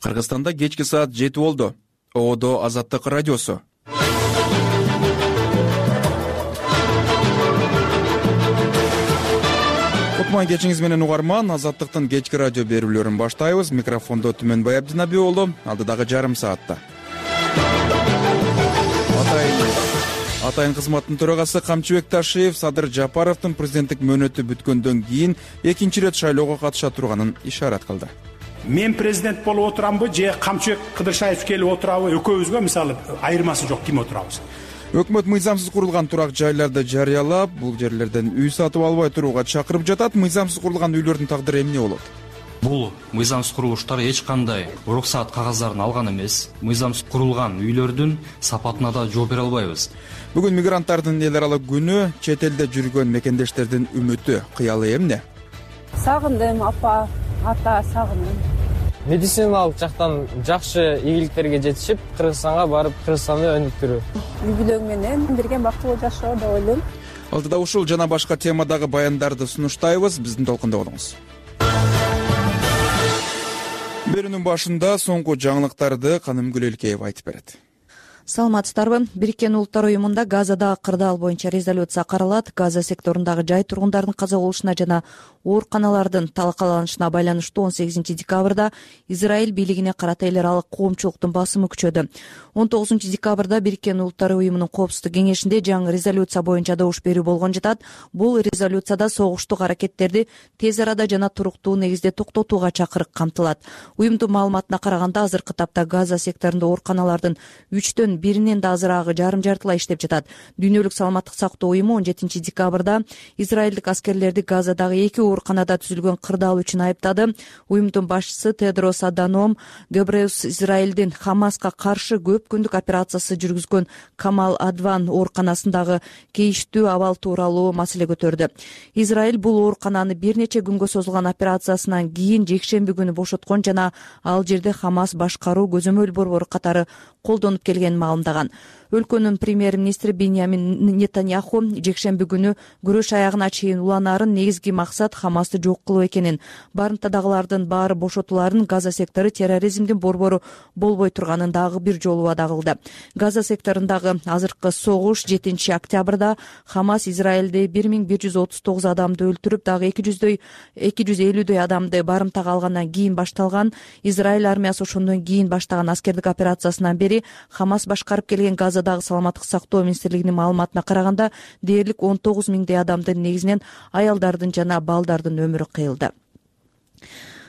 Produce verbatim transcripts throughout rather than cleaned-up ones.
Кыргызстанда кечки саат жети болду. Оодо Азаттык радиосу. Кутман кечиңиз менен угарман. Азаттыктын кечки радио берүүлөрүн баштайбыз. Микрофондо Түмөнбай Абдинаби уулу. Алдыдагы жарым саатта Атайын кызматтын төрагасы Камчыбек Ташиев Садыр Жапаровдун президенттик мөөнөтү бүткөндөн кийин экинчи ирет шайлоого катыша турганын ишарат кылды. Мен президент болуп отурамбы же Камчыбек Кыдыршаев келип отурабы, экөөбүзгө мисалы айырмасы жок, ким отурабыз. Өкмөт мыйзамсыз курулган турак жайларды жарыялап, бул жерлерден үй сатып албай турууга чакырып жатат. Мыйзамсыз курулган үйлөрдүн тагдыры эмне болот? Бул мыйзамсыз курулуштар эч кандай уруксаат кагаздарын алган эмес. Мыйзамсыз курулган үйлөрдүн сапатына да жооп бере албайбыз. Бүгүн мигранттардын эл аралык күнү. Чет элде жүргөн мекендештердин үмүтү, кыялы эмне? Сагындым апа, ата сагындым. Медициналык жактан жакшы ийгиликтерге жетишип, Кыргызстанга барып, Кыргызстанды өнүктүрүү. Үй бүлөң менен бирге бактылуу жашоо деп ойлойм. Алдыда ушул жана башка темадагы баяндарды сунуштайбыз. Биздин толкунда болуңуз. Берүүнүн башында соңку жаңылыктарды Каным Гүлелкеева айтып берет. Саламатсыздарбы? Бириккен Улуттар уюмунда Газадагы кырдаал боюнча резолюция каралат. Газа секторундагы жай тургундардын каза болушуна жана ооруканалардын талкаланышына байланыштуу он сегизинчи декабрда Израиль бийлигине карата эл аралык коомчулуктун басымы күчөдү. он тогузунчу декабрда Бириккен Улуттар уюмунун коопсуздук кеңешинде жаңы резолюция боюнча добуш берүү болгон жатат. Бул резолюцияда согуштук аракеттерди тез арада жана туруктуу негизде токтотууга чакырык камтылат. Уюмдун маалыматына караганда азыркы тапта Газа секторунда ооруканалардын үчтөн биринен да азыраагы жарым жартылай иштеп жатат. Дүйнөлүк саламаттык сактоо уюму он жетинчи декабрда израилдик аскерлерди Газадагы эки ооруканада түзүлгөн кырдаал үчүн айыптады. Уюмдун башчысы Тедрос Аданом Гебреус Израилдин Хамаска каршы көп күндүк операциясы жүргүзгөн Камал Адван ооруканасындагы кейиштүү абал тууралуу маселе көтөрдү. Израиль бул оорукананы бир нече күнгө созулган операциясынан кийин жекшемби күнү бошоткон жана ал жерде Хамас башкаруу көзөмөл борбору катары колдонуп келгенин маалымдаган. Өлкөнүн премьер-министри Биньямин Нетаньяху жекшемби күнү күрөш аягына чейин уланаарын негизги максат Хамасты жок кылуу экенин, барымтадагылардын баары бошотуларын, Газа сектору терроризмдин борбору болбой турганын дагы бир жолу вада кылды. Газа секторундагы азыркы согуш жетинчи октябрда Хамас Израилде бир миң бир жүз отуз тогуз адамды өлтүрүп, дагы эки жүздөй эки жүз элүүдөй адамды барымтага алгандан кийин башталган. Израиль армиясы ошондон кийин баштаган аскердик операциясынан бери Хамас башкарып келген Газадагы саламаттык сактоо министрлигинин маалыматына караганда дээрлик он тогуз миңдей адамдын, негизинен аялдардын жана балдардын өмүрү кыйылды.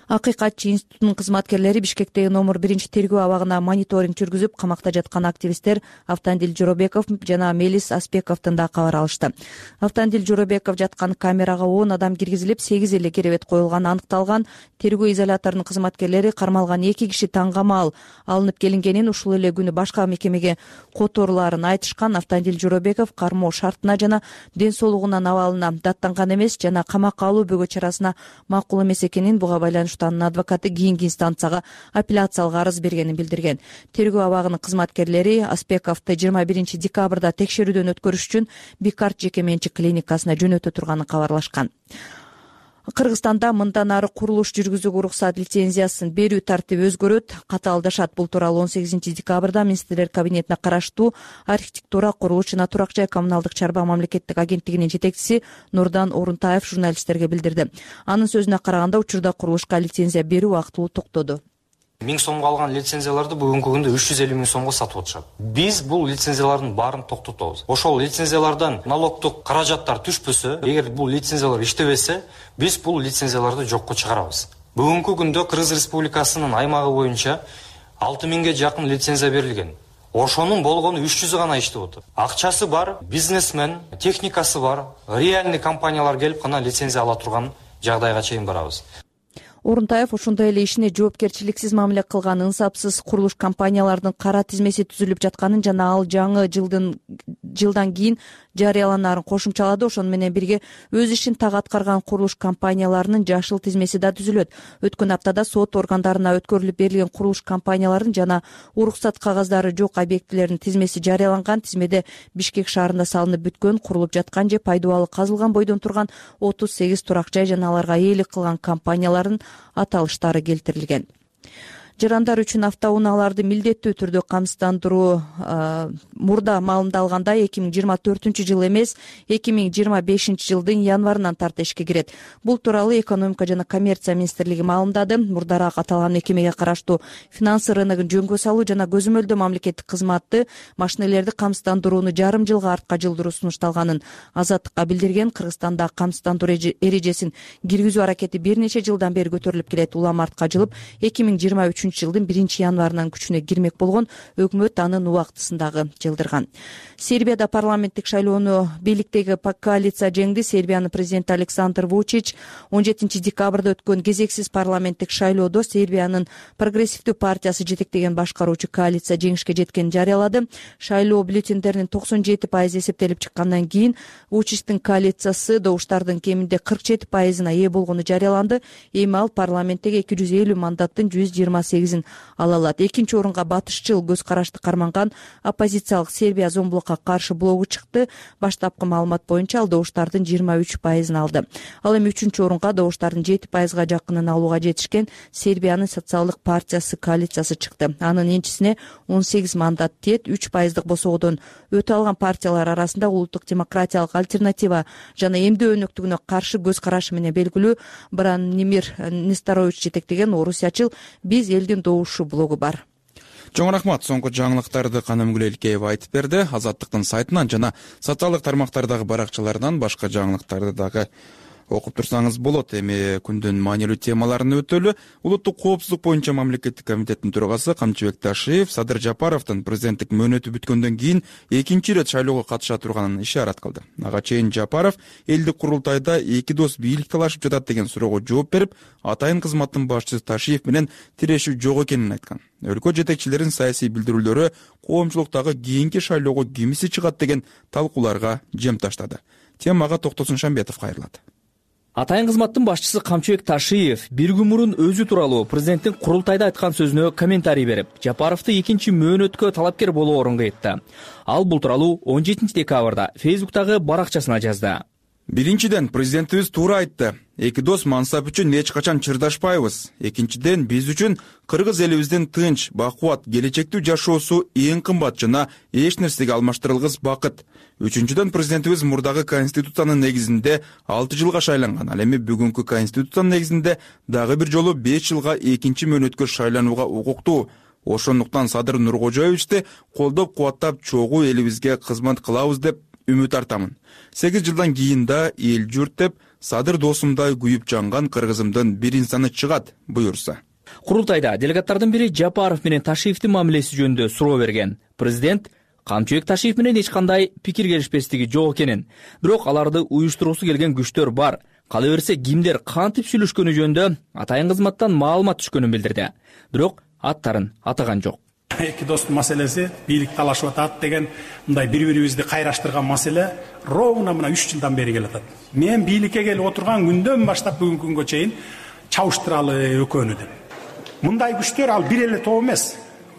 Акыйкатчы институтунун кызматкерлери Бишкектеги номер биринчи тергөө абагына мониторинг жүргүзүп, камакта жаткан активисттер Автандил Жоробеков жана Мелис Аспековдун да кабар алышты. Автандил Жоробеков жаткан камерага он адам киргизилип, сегиз эле керебет коюлганы аныкталган. Тергөө изоляторунун кызматкерлери кармалган эки киши таңгамал алынып келингенин, ушул эле күнү башка мекемеге которуларын айтышкан. Автандил Жоробеков кармоо шартына жана ден соолугунун абалына даттанган эмес жана камакка алуу бөгө чарасына макул эмес экенин, буга байланыштуу анын адвокаты кийинки инстанцияга апелляциялык арыз бергенин билдирген. Тергөө абагынын кызматкерлери Аспековду жыйырма биринчи декабрда текшерүүдөн өткөрүш үчүн Бикарт жеке менчик клиникасына жөнөтө турганын кабарлашкан. Кыргызстанда мындан ары курулуш жүргүзүүгө уруксат лицензиясын берүү тартиби өзгөрөт. Катаалдашат. Бул тууралуу он сегизинчи декабрда министрлер кабинетине караштуу архитектура, курулуш жана турак жай коммуналдык чарба мамлекеттик агенттигинин жетекчиси Нурдан Орунтаев журналисттерге билдирди. Анын сөзүнө караганда, учурда курулушка лицензия берүү убактылуу токтоду. миң сомго алган лицензияларды бүгүнкү күндө үч жүз элүү миң сомго сатып атышат. Биз бул лицензиялардын баарын токтотобуз. Ошол лицензиялардан налогдук каражаттар түшпөсө, эгер бул лицензиялар иштебесе, биз бул лицензияларды жокко чыгарабыз. Бүгүнкү күндө Кыргыз Республикасынын аймагы боюнча алты миңге жакын лицензия берилген. Ошонун болгону үч жүзү гана иштеп отур. Акчасы бар, бизнесмен, техникасы бар, реальный компаниялар келип гана лицензия ала турган жагдайга чейин барабыз. Орунтаев ошондой эле ишине жоопкерчиликсиз мамиле кылган ынсапсыз курулуш компанияларынын кара тизмеси түзүлүп жатканын жана ал жаңы жылдын жылдан кийин жарыяланаарын кошумчалады. Ошону менен бирге өз ишин так аткарган курулуш компанияларынын жашыл тизмеси да түзүлөт. Өткөн аптада сот органдарына өткөрүлүп берилген курулуш компанияларынын жана уруксат кагаздары жок объектилердин тизмеси жарыяланган. Тизмеде Бишкек шаарында салынып бүткөн, курулуп жаткан же пайдубалы казылган бойдон турган отуз сегиз турак жай жана аларга ээлик кылган компаниялардын аталыштары келтирилген. жарандар үчүн автоунааларды милдеттүү түрдө камсыздандыруу мурда маалымдалганда эки миң жыйырма төртүнчү жыл эмес эки миң жыйырма бешинчи жылдын январынан тарта ишке кирет. Бул тууралуу экономика жана коммерция министрлиги маалымдады. Мурдараак аталган мекемеге караштуу финансы рыногун жөнгө салуу жана көзөмөлдөө мамлекеттик кызматты машинелерди камсыздандырууну жарым жылга артка жылдыруу сунушталганын Азаттыкка билдирген. Кыргызстанда камсыздандыруу эрежесин киргизүү аракети бир нече жылдан бери көтөрүлүп келет. Улам артка жылып эки миң жыйырма үчүнчү жылдын биринчи январынан күчүнө кирмек болгон, өкмөт анын убактысын дагы жылдырган. Сербияда парламенттик шайлоону бийликтеги коалиция жеңди. Сербиянын президенти Александр Вучич он жетинчи декабрда өткөн кезексиз парламенттик шайлоодо Сербиянын прогрессивдүү партиясы жетектеген башкаруучу коалиция жеңишке жеткенин жарыялады. Шайлоо бюллетендеринин токсон жети пайызы эсептелип чыккандан кийин Вучичтин коалициясы добуштардын кеминде кырк жети пайызына ээ болгону жарыяланды. Эми ал парламенттеги эки жүз элүү мандаттын жүз жыйырма сегизин ала алат. Экинчи орунга батышчыл көз карашты карманган оппозициялык Сербия зомбулукка каршы блогу чыкты. Баштапкы маалымат боюнча ал добуштардын жыйырма үч пайызын алды. Ал эми үчүнчү орунга добуштардын жети пайызга жакынын алууга жетишкен Сербиянын социалдык партиясы коалициясы чыкты. Анын энчисине он сегиз мандат тиет. үч пайыздык босоодон өтө алган партиялар арасында улуттук демократиялык альтернатива жана эмдөө өнөктүгүнө каршы көз карашы менен белгилүү Бранимир Несторович жетектеген орусиячыл «Биз элдин добушу» блогу бар. Чоң рахмат. Соңку жаңылыктарды Каным Гүлелкеева айтып берди. Азаттыктын сайтынан жана социалдык тармактардагы баракчаларынан башка жаңылыктарды дагы окуп турсаңыз болот. Эми күндүн маанилүү темаларын өтөлү. Улуттук коопсуздук боюнча мамлекеттик комитеттин төрагасы Камчыбек Ташиев Садыр Жапаровдун президенттик мөөнөтү бүткөндөн кийин экинчи ирет шайлоого катыша турганын ишарат кылды. Ага чейин Жапаров элдик курултайда эки дос бийлик талашып жатат деген суроого жооп берип, атайын кызматтын башчысы Ташиев менен тирешүү жок экенин айткан. Өлкө жетекчилеринин саясий билдирүүлөрү коомчулуктагы кийинки шайлоого кимиси чыгат деген талкууларга жем таштады. Темага Токтосун Шамбетов кайрылат. Атайын кызматтын башчысы Камчыбек Ташиев бир күн мурун өзү тууралуу президенттин курултайда айткан сөзүнө комментарий берип, Жапаровду экинчи мөөнөткө талапкер болоорунга айтты. Ал бул тууралуу он жетинчи декабрда Фейсбуктагы баракчасына жазды. Биринчиден, президентибиз туура айтты. Эки дос мансап үчүн эч качан чырдашпайбыз. Экинчиден, биз үчүн кыргыз элибиздин тынч, бакубат, келечектүү жашоосу эң кымбат жана эч нерсеге алмаштырылгыс бакыт. Үчүнчүдөн, президентибиз мурдагы конституциянын негизинде алты жылга шайланган. Ал эми бүгүнкү конституциянын негизинде дагы бир жолу беш жылга экинчи мөөнөткө шайланууга укуктуу. Ошондуктан Садыр Нуркожоевичти колдоп кубаттап чогуу элибизге кызмат кылабыз деп үмүт артамын. сегиз жылдан кийин да эл журт деп Садыр досумдай күйүп жанган кыргызымдын бир инсаны чыгат, буюрса. Курултайда делегаттардын бири Жапаров менен Ташиевдин мамилеси жөнүндө суроо берген. Президент Камчыбек Ташиев менен эч кандай пикир келишпестиги жок экенин, бирок аларды уюштуруусу келген күчтөр бар. Кала берсе кимдер кантип сүйлөшкөнү жөнүндө атайын кызматтан маалымат түшкөнүн билдирди. Бирок аттарын атаган жок. Эки достун маселеси бийлик талашып атат деген мындай бири-бирибизди кайраштырган маселе ровно мына үч жылдан бери келатат. Мен бийликке келип отурган күндөн баштап бүгүнкү күнгө чейин чабыштыралы экөөнү деп. Мындай күчтөр ал бир эле топ эмес.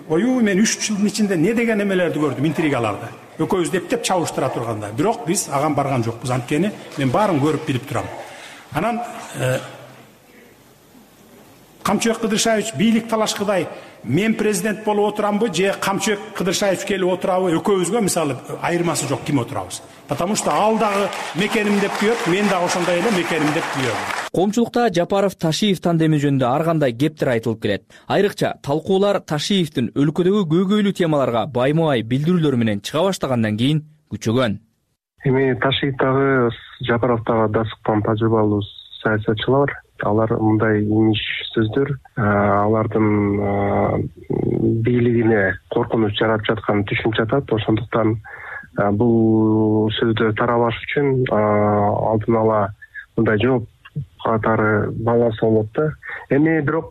Ою мен үч жылдын ичинде не деген эмелерди көрдүм, интригаларды. Экөөбүз дептеп чабыштыра турганда, бирок биз аган барган жокпуз. Анткени мен баарын көрүп билип турам. Анан Камчыбек Кыдыршаевич бийлик талашкыдай мен президент болуп отурамбы же Камчыбек Кыдыршаевич келип отурабы, экөөбүзгө мисалы айырмасы жок, ким отурабыз. Потому что ал дагы мекеним деп күйөт, мен дагы ошондой эле мекеним деп күйөм. Коомчулукта Жапаров Ташиев тандеми жөнүндө ар кандай кептер айтылып келет. Айрыкча талкуулар Ташиевдин өлкөдөгү көйгөйлүү темаларга байма-бай билдирүүлөр менен чыга баштагандан кийин күчөгөн. Эми Ташиев дагы Жапаров дагы дасыктан тажрыйбалуу саясатчылар. Алар мындай имиш сөздөр алардын бийлигине коркунуч жаратып жатканын түшүнүп жатат. Ошондуктан бул сөздөр тарабаш үчүн алдын ала мындай жооп катары баланса болот да. Эми бирок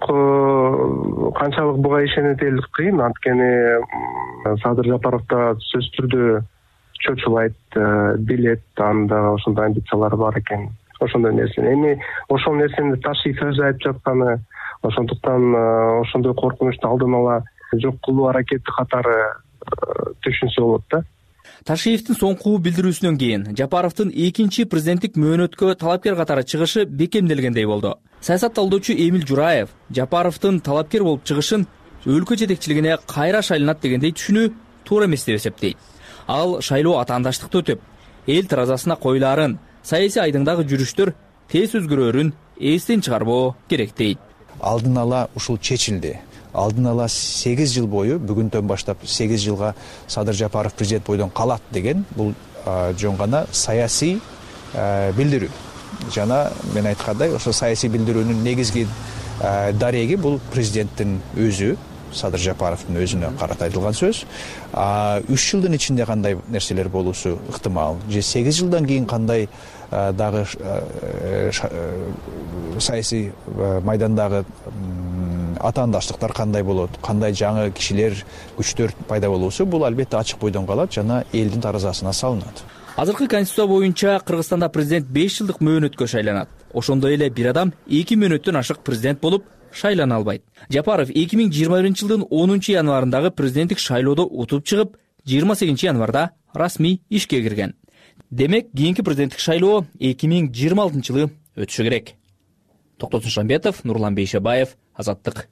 канчалык буга ишенет элдик кыйын. Анткени Садыр Жапаров да сөзсүз түрдө чочулайт, билет, анда ошондой амбициялары бар экен. Ошондой нерсе. Эми ошол нерсени Ташиев өзү айтып жатканы, ошондуктан ошондой коркунучту алдын ала жок кылуу аракети катары түшүнсө болот да. Ташиевдин соңку билдирүүсүнөн кийин Жапаровдун экинчи президенттик мөөнөткө талапкер катары чыгышы бекемделгендей болду. Саясат талдоочу Эмил Жураев Жапаровдун талапкер болуп чыгышын өлкө жетекчилигине кайра шайланат дегендей түшүнүү туура эмес деп эсептейт. Ал шайлоо атаандаштыкта өтүп, эл таразасына коюлаарын, саясий айдыңдагы жүрүштөр тез өзгөрөөрүн эстен чыгарбоо керек дейт. Алдын ала ушул чечилди. Алдын ала сегиз жыл бою, бүгүндөн баштап сегиз жылга Садыр Жапаров президент бойдон калат деген бул жөн гана саясий билдирүү. Жана мен айткандай, ошо саясий билдирүүнүн негизги дареги бул президенттин өзү, Садыр Жапаровдун өзүнө карата айтылган сөз. үч жылдын ичинде кандай нерселер болуусу ыктымал, же сегиз жылдан кийин кандай дагы саясий майдандагы атаандаштыктар кандай болот, кандай жаңы кишилер, күчтөр пайда болуусу бул албетте ачык бойдон калат жана элдин таразасына салынат. Азыркы конституция боюнча Кыргызстанда президент беш жылдык мөөнөткө шайланат. Ошондой эле бир адам эки мөөнөттөн ашык президент болуп шайлана албайт. Жапаров эки миң жыйырма биринчи жылдын онунчу январындагы президенттик шайлоодо утуп чыгып, жыйырма сегизинчи январда расмий ишке кирген. Демек, кийинки президенттик шайлоо эки миң жыйырма алтынчы жылы өтүшү керек. Токтосун Шамбетов, Нурлан Бейшебаев, Азаттык.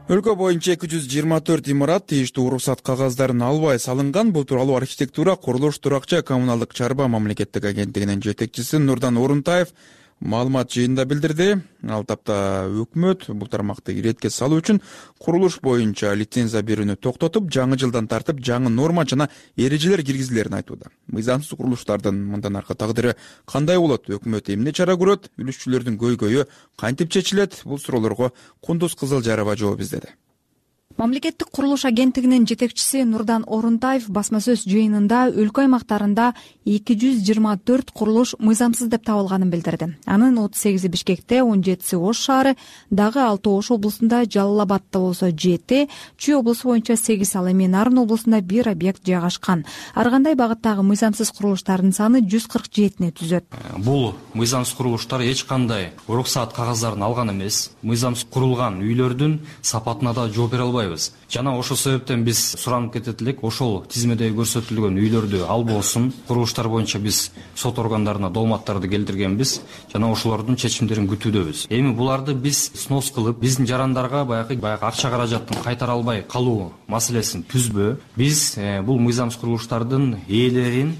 Өлкө боюнча эки жүз жыйырма төрт имарат тийиштүү уруксат кагаздарын албай салынган. Бул тууралуу архитектура, курулуш, туракчы коммуналдык чарба мамлекеттик агенттигинин жетекчиси Нурдан Орунтаев маалымат жыйынында билдирди. Ал тапта өкмөт бул тармакты иретке салуу үчүн курулуш боюнча лицензия берүүнү токтотуп, жаңы жылдан тартып жаңы норма жана эрежелер киргизилерин айтууда. Мыйзамсыз курулуштардын мындан аркы тагдыры кандай болот? Өкмөт эмне чара көрөт? Үлүшчүлөрдүн көйгөйү кантип чечилет? Бул суроолорго Кундуз Кызылжарова жооп издеди. Мамлекеттик курулуш агенттигинин жетекчиси Нурдан Орунтаев басма сөз жыйынында өлкө аймактарында эки жүз жыйырма төрт курулуш мыйзамсыз деп табылганын билдирди. Анын отуз сегизи Бишкекте, он жетиси Ош шаары, дагы алты Ош облусунда, Жалал Абадта болсо жети, Чүй облусу боюнча сегиз, ал эми Нарын облусунда бир объект жайгашкан. Ар кандай багыттагы мыйзамсыз курулуштардын саны жүз кырк жетини түзөт. Бул мыйзамсыз курулуштар эч кандай уруксат кагаздарын алган эмес. Мыйзамсыз курулган үйлөрдүн сапатына да жооп бере албайбыз. Жана ошол себептен биз суранып кетет элек, ошол тизмеде көрсөтүлгөн үйлөрдү албосун. Курулуштар боюнча биз сот органдарына долматтарды келтиргенбиз жана ошолордун чечимдерин күтүүдөбүз. Эми буларды биз снос кылып, биздин жарандарга баягы баягы акча каражаттын кайтара албай калуу маселесин түзбө. Биз бул мыйзамсыз курулуштардын ээлерин,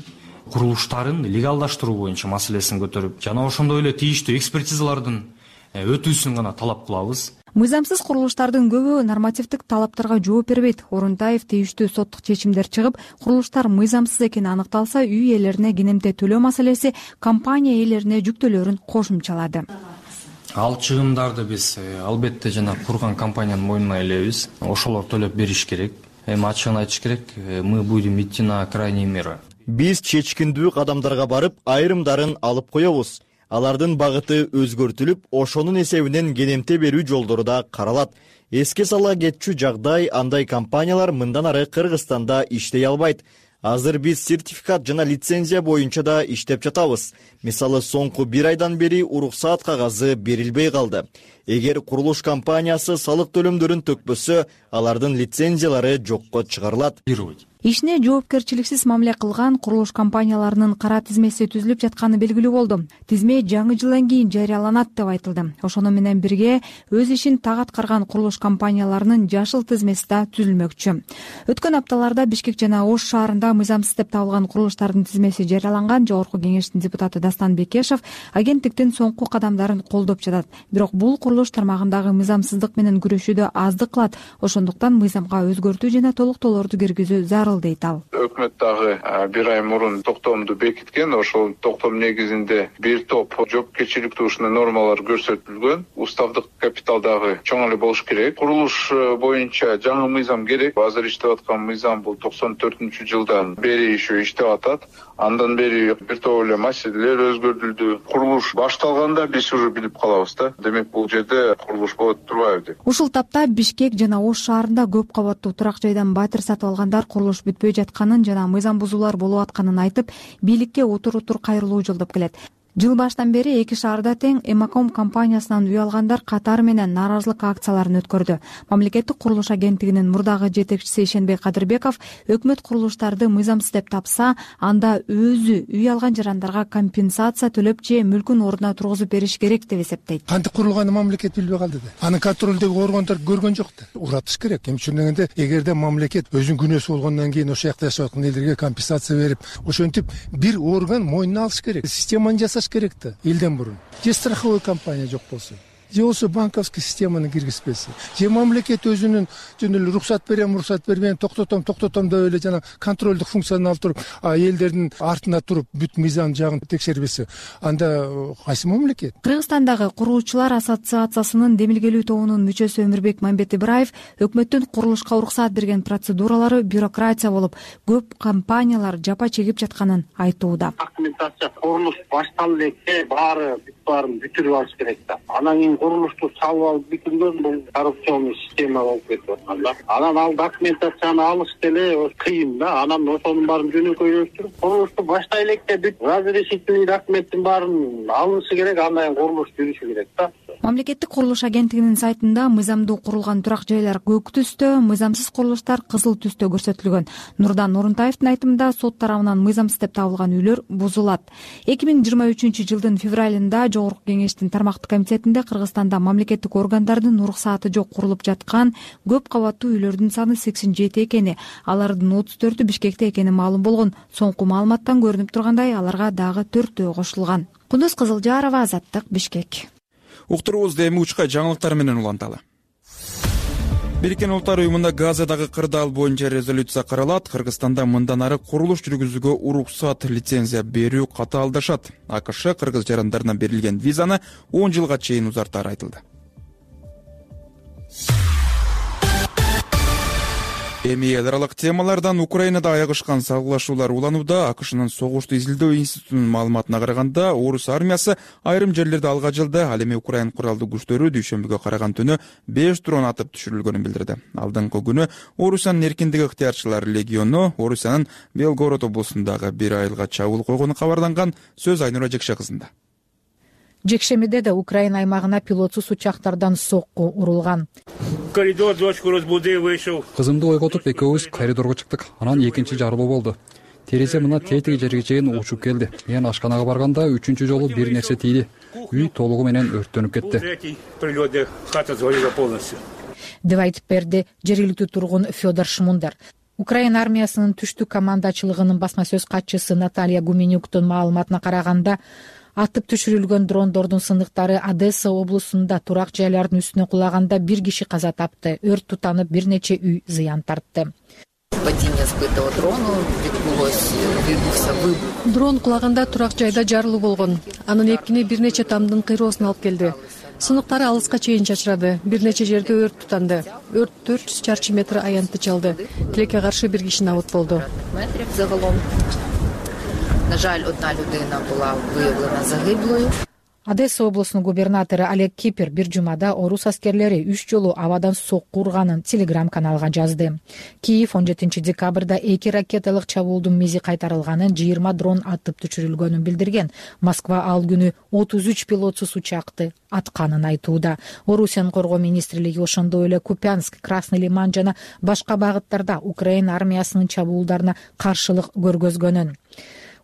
курулуштарын легалдаштыруу боюнча маселесин көтөрүп, жана ошондой эле тийиштүү экспертизалардын өтүүсүн гана талап кылабыз. Мыйзамсыз курулуштардын көбү нормативдик талаптарга жооп бербейт. Орунтаев тийиштүү соттук чечимдер чыгып, курулуштар мыйзамсыз экени аныкталса, үй ээлерине кенемте төлөө маселеси компания ээлерине жүктөлөрүн кошумчалады. Ал чыгымдарды биз албетте жана курган компаниянын мойнуна илебиз. Ошолор төлөп бериш керек. Эми ачыгын айтыш керек, мы будем идти на крайние меры. Биз чечкиндүү кадамдарга барып, айрымдарын алып коебуз. Алардын багыты өзгөртүлүп, ошонун эсебинен кенемте берүү жолдору да каралат. Эске сала кетчү жагдай, андай компаниялар мындан ары Кыргызстанда иштей албайт. Азыр биз сертификат жана лицензия боюнча да иштеп жатабыз. Мисалы, соңку бир айдан бери уруксаат кагазы берилбей калды. Эгер курулуш компаниясы салык төлөмдөрүн төкпөсө, алардын лицензиялары жокко чыгарылат. Ишине жоопкерчиликсиз мамиле кылган курулуш компанияларынын кара тизмеси түзүлүп жатканы белгилүү болду. Тизме жаңы жылдан кийин жарыяланат деп айтылды. Ошону менен бирге өз ишин так аткарган курулуш компанияларынын жашыл тизмеси да түзүлмөкчү. Өткөн апталарда Бишкек жана Ош шаарында мыйзамсыз деп табылган курулуштардын тизмеси жарыяланган. Жогорку кеңештин депутаты Дастан Бекешев агенттиктин соңку кадамдарын колдоп жатат. Бирок бул курулуш тармагындагы мыйзамсыздык менен күрөшүүдө аздык кылат. Ошондуктан мыйзамга өзгөртүү жана толуктоолорду киргизүү зарыл дейт ал. Өкмөт дагы бир ай мурун токтомду бекиткен. Ошол токтом негизинде бир топ жоопкерчиликтүү ушундай нормалар көрсөтүлгөн. Уставдык капитал дагы чоң эле болуш керек. Курулуш боюнча жаңы мыйзам керек. Азыр иштеп аткан мыйзам бул токсон төртүнчү жылдан бери иши иштеп атат. Андан бери бир топ эле маселелер өзгөртүлдү. Курулуш башталганда биз уже билип калабыз да. Демек бул жерде курулуш болот турбайбы деп. Ушул тапта Бишкек жана Ош шаарында көп кабаттуу турак жайдан батир сатып алгандар курулуш бүтпөй жатканын жана мыйзам бузуулар болуп атканын айтып, бийликке утур-утур кайрылуу жолдоп келет. Жыл башынан бери эки шаарда тең Эмаком компаниясынан үй алгандар катары менен нааразылык акцияларын өткөрдү. Мамлекеттик курулуш агенттигинин мурдагы жетекчиси Ишенбек Кадырбеков өкмөт курулуштарды мыйзамсыз деп тапса, анда өзү үй алган жарандарга компенсация төлөп же мүлкүн ордуна тургузуп бериш керек деп эсептейт. Кантип курулганын мамлекет билбей калды да. Анын контролдөгү органдар көргөн жок да. Уратыш керек. Эми ушундой дегенде эгерде мамлекет өзүнүн күнөөсү болгондон кийин ошол жакта жашап аткан элдерге компенсация берип, ошентип бир орган мойнуна алыш керек. Системаны жасаш керек да элден мурун. Же страховой компания жок болсо, же болсо банковский системаны киргизбесе, же мамлекет өзүнүн жөн эле уруксат берем, уруксат бербейм, токтотом, токтотом деп эле жана контролдук функцияны алып туруп, элдердин артына туруп бүт мыйзам жагын текшербесе, анда кайсы мамлекет? Кыргызстандагы курулуучулар ассоциациясынын демилгелүү тобунун мүчөсү Өмүрбек Мамбет Ибраев өкмөттүн курулушка уруксат берген процедуралары бюрократия болуп, көп компаниялар жапа чегип жатканын айтууда. Документация курулуш башталып электе баары баарын бүтүрүп алыш керек да. Анан кийин курулушту салып алып бүтүргөн бул коррупционный система болуп кетип аткан да. Анан ал документацияны алыш деле кыйын да. Анан ошонун баарын жөнөкөйлөштүрүп, курулушту баштай электе бүт разрешительный документтин баарын алышы керек, андан кийин курулуш жүрүшү керек да. Мамлекеттик курулуш агенттигинин сайтында мыйзамдуу курулган турак жайлар көк түстө, мыйзамсыз курулуштар кызыл түстө көрсөтүлгөн. Нурдан Нурунтаевдин айтымында сот тарабынан мыйзамсыз деп табылган үйлөр бузулат. эки миң жыйырма үчүнчү жылдын февралында Жогорку кеңештин тармактык комитетинде Кыргызстанда мамлекеттик органдардын уруксаты жок курулуп жаткан көп кабаттуу үйлөрдүн саны сексен жети экени, алардын отуз төртү Бишкекте экени маалым болгон. Соңку маалыматтан көрүнүп тургандай, аларга дагы төртөө кошулган. Кундуз Кызылжарова, Азаттык, Бишкек. Уктуруубузду эми учка жаңылыктар менен уланталы. Бириккен Улуттар уюмунда Газадагы кырдаал боюнча резолюция каралат. Кыргызстанда мындан ары курулуш жүргүзүүгө уруксат, лицензия берүү катаалдашат. АКШ кыргыз жарандарына берилген визаны он жылга чейин узартары айтылды. Эми эл аралык темалардан Украинада аягышкан салгылашуулар уланууда. АКШнын согушту изилдөө институтунун маалыматына караганда, орус армиясы айрым жерлерде алга жылды. Ал эми Украин куралдуу күчтөрү дүйшөмбүгө караган түнү беш дрон атып түшүрүлгөнүн билдирди. Алдыңкы күнү Орусиянын эркиндик ыктыярчылар легиону Орусиянын Белгород облусундагы бир айылга чабуул койгону кабарланган. Сөз Айнура Жекше кызында. Жекшемиде да Украина аймагына пилотсуз учактардан сокку урулган. Коридор дочку разбуди, вышел. Кызымды ойготуп экөөбүз коридорго чыктык. Анан экинчи жарылуу болду. Терезе мына тетиги жерге чейин учуп келди. Мен ашканага барганда үчүнчү жолу бир нерсе тийди. Үй толугу менен өрттөнүп кетти. Деп айтып берди жергиликтүү тургун Федор Шмундар. Украина армиясынын түштүк командачылыгынын басма сөз катчысы Наталья Гуменюктун маалыматына караганда, атып түшүрүлгөн дрондордун сындыктары Одесса облусунда турак жайлардын үстүнө кулаганда бир киши каза тапты. Өрт тутанып, бир нече үй зыян тартты. Дрон кулаганда турак жайда жарылуу болгон. Анын эпкини бир нече тамдын кыйроосуна алып келди. Сыныктары алыска чейин чачырады. Бир нече жерде өрт тутанды. Өрт төрт жүз чарчы метр аянтты чалды. Тилекке каршы бир киши абот болду. На жаль, одна людина була виявлена загиблою. Одесса облусунун губернатору Олег Кипер бир жумада орус аскерлери үч жолу абадан сокку урганын Телеграм каналга жазды. Киев он жетинчи декабрда эки ракеталык чабуулдун мизи кайтарылганын, жыйырма дрон атып түшүрүлгөнүн билдирген. Москва ал күнү отуз үч пилотсуз учакты атканын айтууда. Орусиянын коргоо министрлиги ошондой эле Купянск, Красный Лиман жана башка багыттарда Украина армиясынын чабуулдарына каршылык көргөзгөнүн,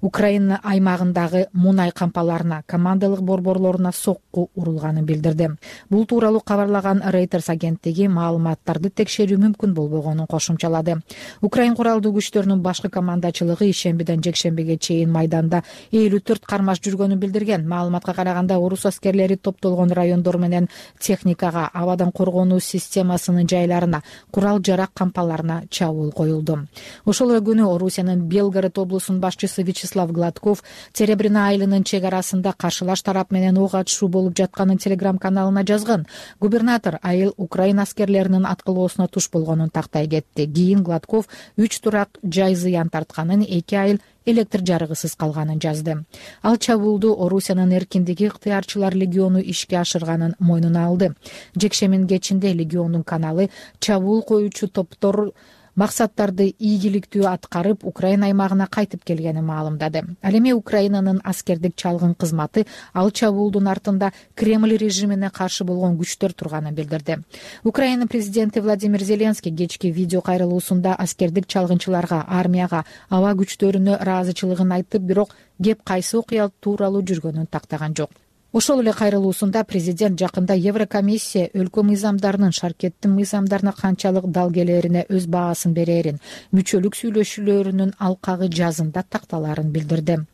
Украина аймагындагы мунай кампаларына, командалык борборлоруна сокку урулганын билдирди. Бул тууралуу кабарлаган Reuters агенттиги маалыматтарды текшерүү мүмкүн болбогонун кошумчалады. Украин куралдуу күчтөрүнүн башкы командачылыгы ишембиден жекшембиге чейин майданда элүү төрт кармаш жүргөнүн билдирген. Маалыматка караганда, орус аскерлери топтолгон райондор менен техникага, абадан коргонуу системасынын жайларына, курал жарак кампаларына чабуул коюлду. Ошол эле күнү Орусиянын Белгород облусунун башчысы Вячеслав Гладков Серебряный айылынын чек арасында каршылаш тарап менен ок атышуу болуп жатканын Телеграм каналына жазган. Губернатор айыл Украина аскерлеринин аткылоосуна туш болгонун тактай кетти. Кийин Гладков үч турак жай зыян тартканын, эки айыл электр жарыгысыз калганын жазды. Ал чабуулду Орусиянын эркиндиги ыктыярчылар легиону ишке ашырганын мойнуна алды. Жекшемин кечинде легиондун каналы чабуул коюучу топтор максаттарды ийгиликтүү аткарып Украина аймагына кайтып келгенин маалымдады. Ал эми Украинанын аскердик чалгын кызматы ал чабуулдун артында Кремль режимине каршы болгон күчтөр турганын билдирди. Украина президенти Владимир Зеленский кечки видео кайрылуусунда аскердик чалгынчыларга, армияга, аба күчтөрүнө ыраазычылыгын айтып, бирок кеп кайсы окуя тууралуу жүргөнүн тактаган жок. Ошол эле кайрылуусунда президент жакында Еврокомиссия өлкө мыйзамдарынын шаркеттин мыйзамдарына канчалык дал келерине өз баасын берерин, мүчөлүк сүйлөшүүлөрүнүн алкагы жазында такталарын билдирди.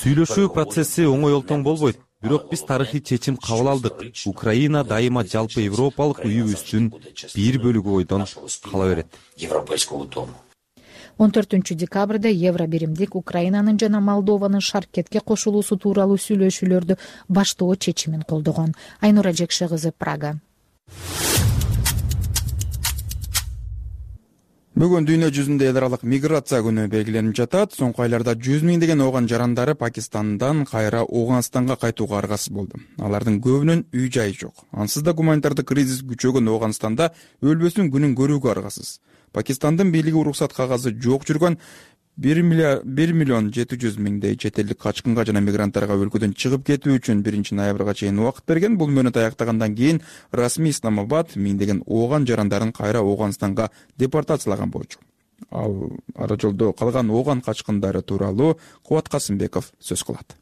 Сүйлөшүү процесси оңой олтоң болбойт. Бирок биз тарыхый чечим кабыл алдык. Украина дайыма жалпы европалык үйүбүздүн бир бөлүгү ойдон кала берет. он төртүнчү декабрда Евробиримдик Украинанын жана Молдованын шаркетке кошулуусу тууралуу сүйлөшүүлөрдү баштоо чечимин колдогон. Айнура Жекше кызы, Прага. Бүгүн дүйнө жүзүндө эл аралык миграция күнү белгиленип жатат. Соңку айларда жүз миңдеген ооган жарандары Пакистандан кайра Ооганстанга кайтууга аргасыз болду. Алардын көбүнүн үй жайы жок. Ансыз да гуманитардык кризис күчөгөн Ооганстанда өлбөсүн күнүн көрүүгө аргасыз. Пакистандын бийлиги уруксат кагазы жок жүргөн бир миллион жети жүз миңдей чет элдик качкынга жана мигранттарга өлкөдөн чыгып кетүү үчүн биринчи ноябрга чейин убакыт берген. Бул мөөнөт аяктагандан кийин расмий Исламабад миңдеген ооган жарандарын кайра Ооганстанга депортациялаган болчу. Ал ара жолдо калган ооган качкындары тууралуу Кубат Касымбеков сөз кылат.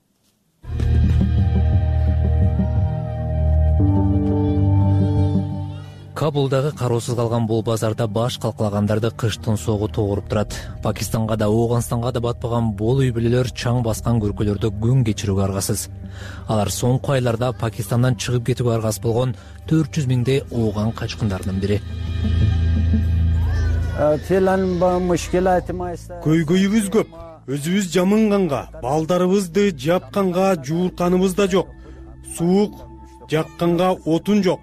Кабулдагы кароосуз калган бул базарда баш калкалагандарды кыштын соогу тогуруп турат. Пакистанга да, Ооганстанга да батпаган бул үй бүлөлөр чаң баскан көркөлөрдө күн кечирүүгө аргасыз. Алар соңку айларда Пакистандан чыгып кетүүгө аргасыз болгон төрт жүз миңдей ооган качкындардын бири. Көйгөйүбүз көп. Өзүбүз жамынганга, балдарыбызды жапканга жуурканыбыз да жок. Суук жакканга отун жок.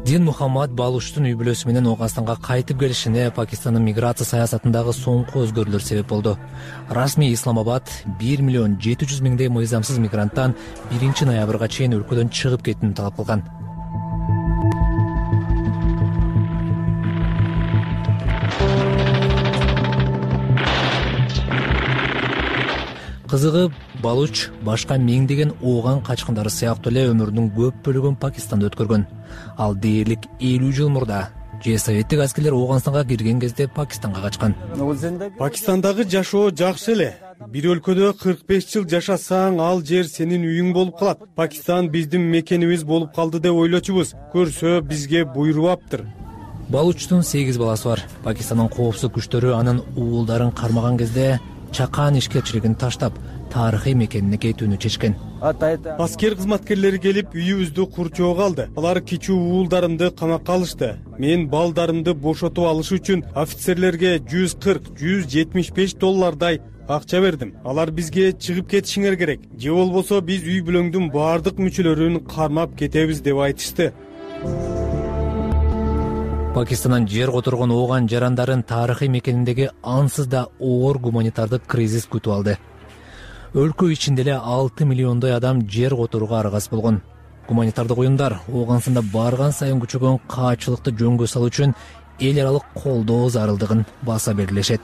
Дин Мухаммад Балуштун үй бүлөсү менен Ооганстанга кайтып келишине Пакистандын миграция саясатындагы соңку өзгөрүүлөр себеп болду. Расмий Исламабад бир миллион жети жүз миңдей мыйзамсыз мигранттан биринчи ноябрга чейин өлкөдөн чыгып кетүүнү талап кылган. Кызыгы, Балуч башка миңдеген ооган качкындары сыяктуу эле өмүрүнүн көп бөлүгүн Пакистанда өткөргөн. Ал дээрлик элүү жыл мурда же советтик аскерлер Ооганстанга кирген кезде Пакистанга качкан. Пакистандагы жашоо жакшы эле. Бир өлкөдө кырк беш жыл жашасаң, ал жер сенин үйүң болуп калат. Пакистан биздин мекенибиз болуп калды деп ойлочубуз. Көрсө бизге буйрубаптыр. Балучтун сегиз баласы бар. Пакистандын коопсуздук күчтөрү анын уулдарын кармаган кезде чакан ишкерчилигин таштап, тарыхый мекенине кетүүнү чечкен. Аскер кызматкерлери келип үйүбүздү курчоого алды. Алар кичүү уулдарымды камакка алышты. Мен балдарымды бошотуп алыш үчүн офицерлерге жүз кырк — жүз жетимиш беш доллардай акча бердим. Алар бизге чыгып кетишиңер керек, же болбосо биз үй бүлөңдүн баардык мүчөлөрүн кармап кетебиз деп айтышты. Пакистандан жер которгон ооган жарандарын тарыхый мекениндеги ансыз да оор гуманитардык кризис күтүп алды. Өлкө ичинде эле алты миллиондой адам жер которууга аргасыз болгон. Гуманитардык уюмдар Ооганстанда барган сайын күчөгөн каачылыкты жөнгө салуу үчүн эл аралык колдоо зарылдыгын баса белгилешет.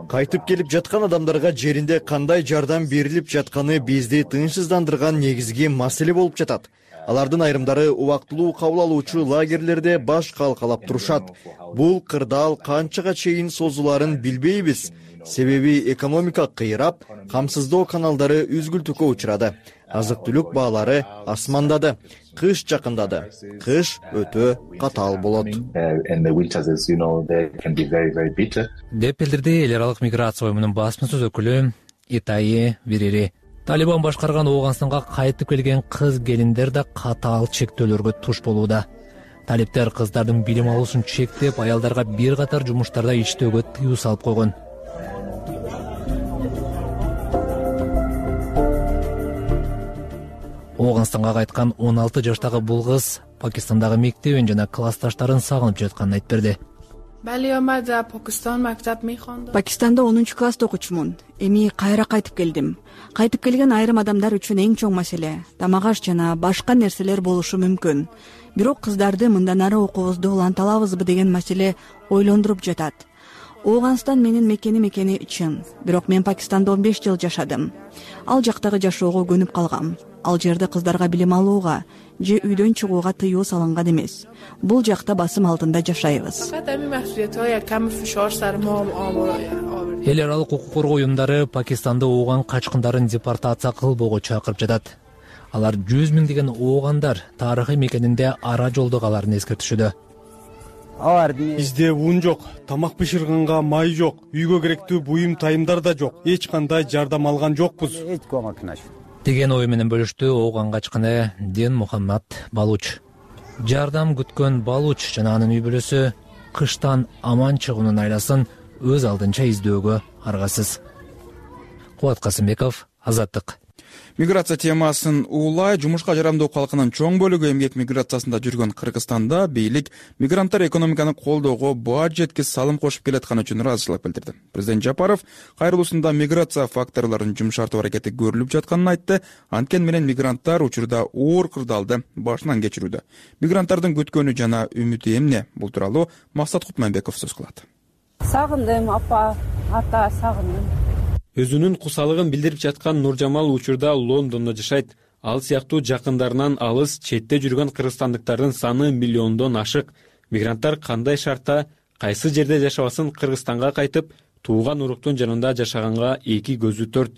Кайтып келип жаткан адамдарга жеринде кандай жардам берилип жатканы бизди тынчсыздандырган негизги маселе болуп жатат. Алардын айрымдары убактылуу кабыл алуучу лагерлерде баш калкалап турушат. Бул кырдаал канчага чейин созуларын билбейбиз. Себеби экономика кыйрап, камсыздоо каналдары үзгүлтүккө учурады. Азык-түлүк баалары асмандады. Кыш жакындады. Кыш өтө катаал болот. Деп билдирди эл аралык миграция уюмунун басма-сөз өкүлү Итайи Вирири. Талибан башкарган Ооганстанга кайтып келген кыз келиндер да катаал чектөөлөргө туш болууда. Талиптер кыздардын билим алуусун чектеп, аялдарга бир катар жумуштарда иштөөгө тыюу салып койгон. Ооганстанга кайткан он алты жаштагы бул кыз Пакистандагы мектебин жана классташтарын сагынып жатканын айтып берди. Пакистанда онунчу класста окучумун. Эми кайра кайтып келдим. Кайтып келген айрым адамдар үчүн эң чоң маселе тамак аш жана башка нерселер болушу мүмкүн. Бирок кыздарды мындан ары окуубузду уланталабызбы деген маселе ойлондуруп жатат. Ооганстан менин мекеним экени чын, бирок мен Пакистанда он беш жыл жашадым. Ал жактагы жашоого көнүп калгам. Ал жерде кыздарга билим алууга же үйдөн чыгууга тыюу салынган эмес. Бул жакта басым алдында жашайбыз. Эл аралык укук коргоо уюмдары Пакистанда ооган качкындарын депортация кылбоого чакырып жатат. Алар жүз миңдеген оогандар тарыхый мекенинде ара жолдо каларын эскертишүүдө. Бизде ун жок, тамак бышырганга май жок, үйгө керектүү буюм тайымдар да жок. Эч кандай жардам алган жокпуз деген ой менен бөлүштү ооган качкыны Дин Мухаммад Балуч. Жардам күткөн Балуч жана анын үй бүлөсү кыштан аман чыгуунун айласын өз алдынча издөөгө аргасыз. Кубат Касымбеков, Азаттык. Миграция темасын улай жумушка жарамдуу калкынын чоң бөлүгү эмгек миграциясында жүргөн Кыргызстанда бийлик мигранттар экономиканы колдоого баа жеткис салым кошуп келатканы үчүн ыраазычылык билдирди. Президент Жапаров кайрылуусунда миграция факторлорун жумшартуу аракети көрүлүп жатканын айтты. Анткени менен мигранттар учурда оор кырдаалды башынан кечирүүдө. Мигранттардын күткөнү жана үмүтү эмне? Бул тууралуу Максат Кутманбеков сөз кылат. Сагындым, апа, ата, сагындым. Өзүнүн кусалыгын билдирип жаткан Нуржамал учурда Лондондо жашайт. Ал сыяктуу жакындарынан алыс четте жүргөн кыргызстандыктардын саны миллиондон ашык. Мигранттар кандай шартта, кайсы жерде жашабасын Кыргызстанга кайтып, тууган уруктун жанында жашаганга эки көзү төрт.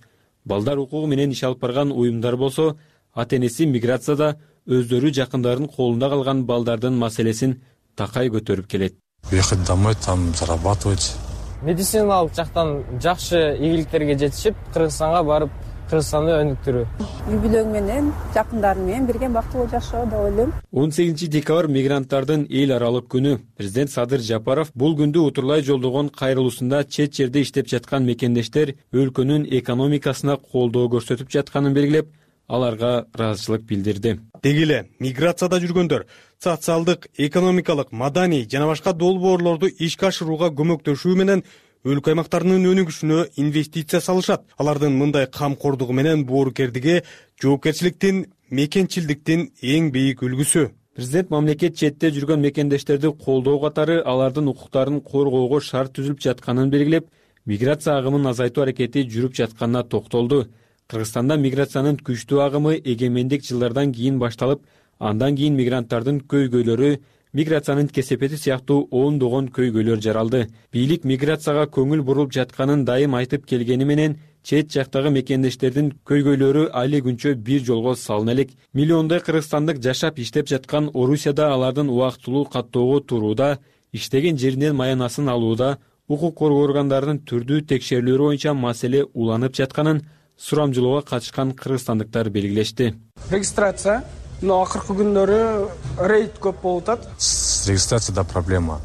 Балдар укугу менен иш алып барган уюмдар болсо, ата-энеси миграцияда өздөрү жакындарын колунда калган балдардын маселесин такай көтөрүп келет. Ехать домой, там зарабатывать. Медициналык жактан жакшы ийгиликтерге жетишип, Кыргызстанга барып, Кыргызстанды өнүктүрүү. Үй бүлөң менен, жакындарың менен бирге бактылуу жашоо деп ойлойм. он сегизинчи декабрь мигранттардын эл аралык күнү. Президент Садыр Жапаров бул күндү утурлай жолдогон кайрылуусунда чет жерде иштеп жаткан мекендештер өлкөнүн экономикасына колдоо көрсөтүп жатканын белгилеп, аларга ыраазычылык билдирди. Деги эле миграцияда жүргөндөр социалдык, экономикалык, маданий жана башка долбоорлорду ишке ашырууга көмөктөшүү менен өлкө аймактарынын өнүгүшүнө инвестиция салышат. Алардын мындай камкордугу менен боорукердиги жоопкерчиликтин, мекенчилдиктин эң бийик үлгүсү. Президент мамлекет четте жүргөн мекендештерди колдоо катары алардын укуктарын коргоого шарт түзүлүп жатканын белгилеп, миграция агымын азайтуу аракети жүрүп жатканына токтолду. Кыргызстанда миграциянын күчтүү агымы эгемендик жылдардан кийин башталып, андан кийин мигранттардын көйгөйлөрү, миграциянын кесепети сыяктуу ондогон көйгөйлөр жаралды. Бийлик миграцияга көңүл буруп жатканын дайым айтып келгени менен, чет жактагы мекендештердин көйгөйлөрү али күнчө бир жолго салына элек. Миллиондой кыргызстандык жашап иштеп жаткан Орусияда алардын убактылуу каттоого турууда, иштеген жеринен маянасын алууда, укук коргоо органдарынын түрдүү текшерүүлөрү боюнча маселе уланып жатканын сурамжылоого катышкан кыргызстандыктар белгилешти. Регистрация, но акыркы күндөрү рейд көп болуп атат. С регистрацией да проблема.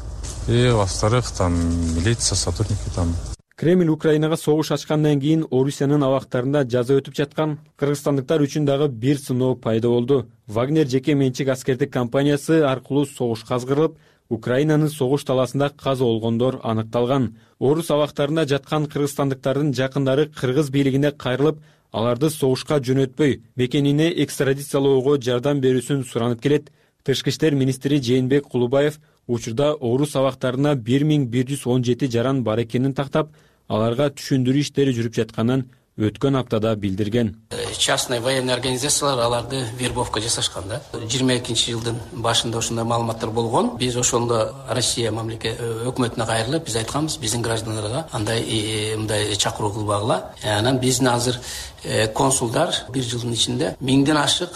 И во-вторых, там милиция, сотрудники там. Кремль Украинага согуш ачкандан кийин Орусиянын абактарында жаза өтүп жаткан кыргызстандыктар үчүн дагы бир сыноо пайда болду. Вагнер жеке менчик аскердик компаниясы аркылуу согушка азгырылып, Украинанын согуш таласында каза болгондор аныкталган. Орус абактарында жаткан кыргызстандыктардын жакындары кыргыз бийлигине кайрылып, аларды согушка жөнөтпөй, мекенине экстрадициялоого жардам берүүсүн суранып келет. Тышкы иштер министри Жээнбек Кулубаев учурда орус абактарына бир миң бир жүз он жети жаран бар экенин тактап, аларга түшүндүрүү иштери жүрүп жатканын өткөн аптада билдирген. Частный военный организациялар аларды вербовка жасашкан да. жыйырма экинчи жылдын башында ошондой маалыматтар болгон. Биз ошондо Россия мамлекет өкмөтүнө кайрылып, биз айтканбыз, биздин граждандарга андай мындай чакыруу кылбагыла. Анан биздин азыр консулдар бир жылдын ичинде миңден ашык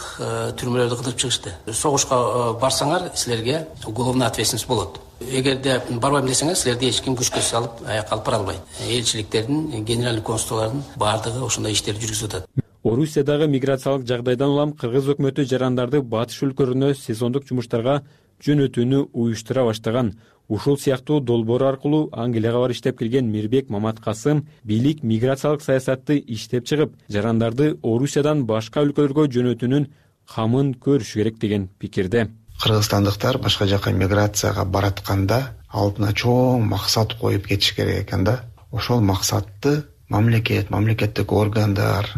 түрмөлөрдү кыдырып чыгышты. Согушка барсаңар, силерге уголовный ответственность болот. Эгерде барбайм десеңер, силерди эч ким күчкө салып аякка алып бара албайт. Элчиликтердин, генеральный консулдардын баардыгы ошондой иштерди жүргүзүп атат. Орусиядагы миграциялык жагдайдан улам кыргыз өкмөтү жарандарды батыш өлкөлөрүнө сезондук жумуштарга жөнөтүүнү уюштура баштаган. Ушул сыяктуу долбоор аркылуу Англияга барып иштеп келген Мирбек Маматкасым бийлик миграциялык саясатты иштеп чыгып, жарандарды Орусиядан башка өлкөлөргө жөнөтүүнүн камын көрүшү керек деген пикирде. кыргызстандыктар башка жака миграцияга баратканда алдына чоң максат коюп кетиш керек экен да. Ошол максатты мамлекет, мамлекеттик органдар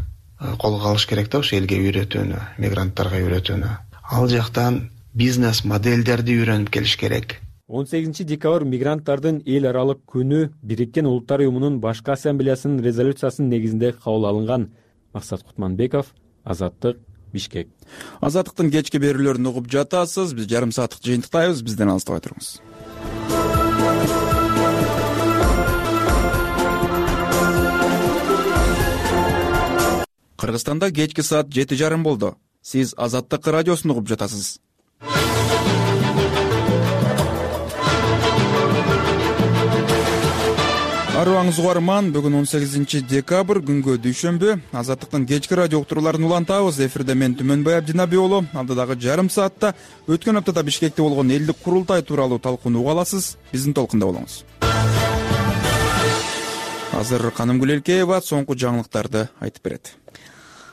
колго алыш керек да, ошо элге үйрөтүүнү, мигранттарга үйрөтүүнү. Ал жактан бизнес модельдерди үйрөнүп келиш керек. он сегизинчи декабрь мигранттардын эл аралык күнү Бириккен Улуттар уюмунун башкы ассамблеясынын резолюциясынын негизинде кабыл алынган. Максат Кутманбеков, Азаттык, Бишкек. Азаттыктын кечки берүүлөрүн угуп жатасыз. Биз жарым сааттык жыйынтыктайбыз. Бизден алыстабай туруңуз. Кыргызстанда кечки саат жети жарым болду. Сиз Азаттык радиосун угуп жатасыз. Арыбаңыз угарман, бүгүн он сегизинчи декабрь күнгө дүйшөмбү. Азаттыктын кечки радио уктурууларын улантабыз. Эфирде мен Түмөнбай Абдинаби уулу. Алдыдагы жарым саатта өткөн аптада Бишкекте болгон элдик курултай тууралуу талкууну аласыз. Биздин толкунда болуңуз. Азыр Канымгүл Элкеева соңку жаңылыктарды айтып берет.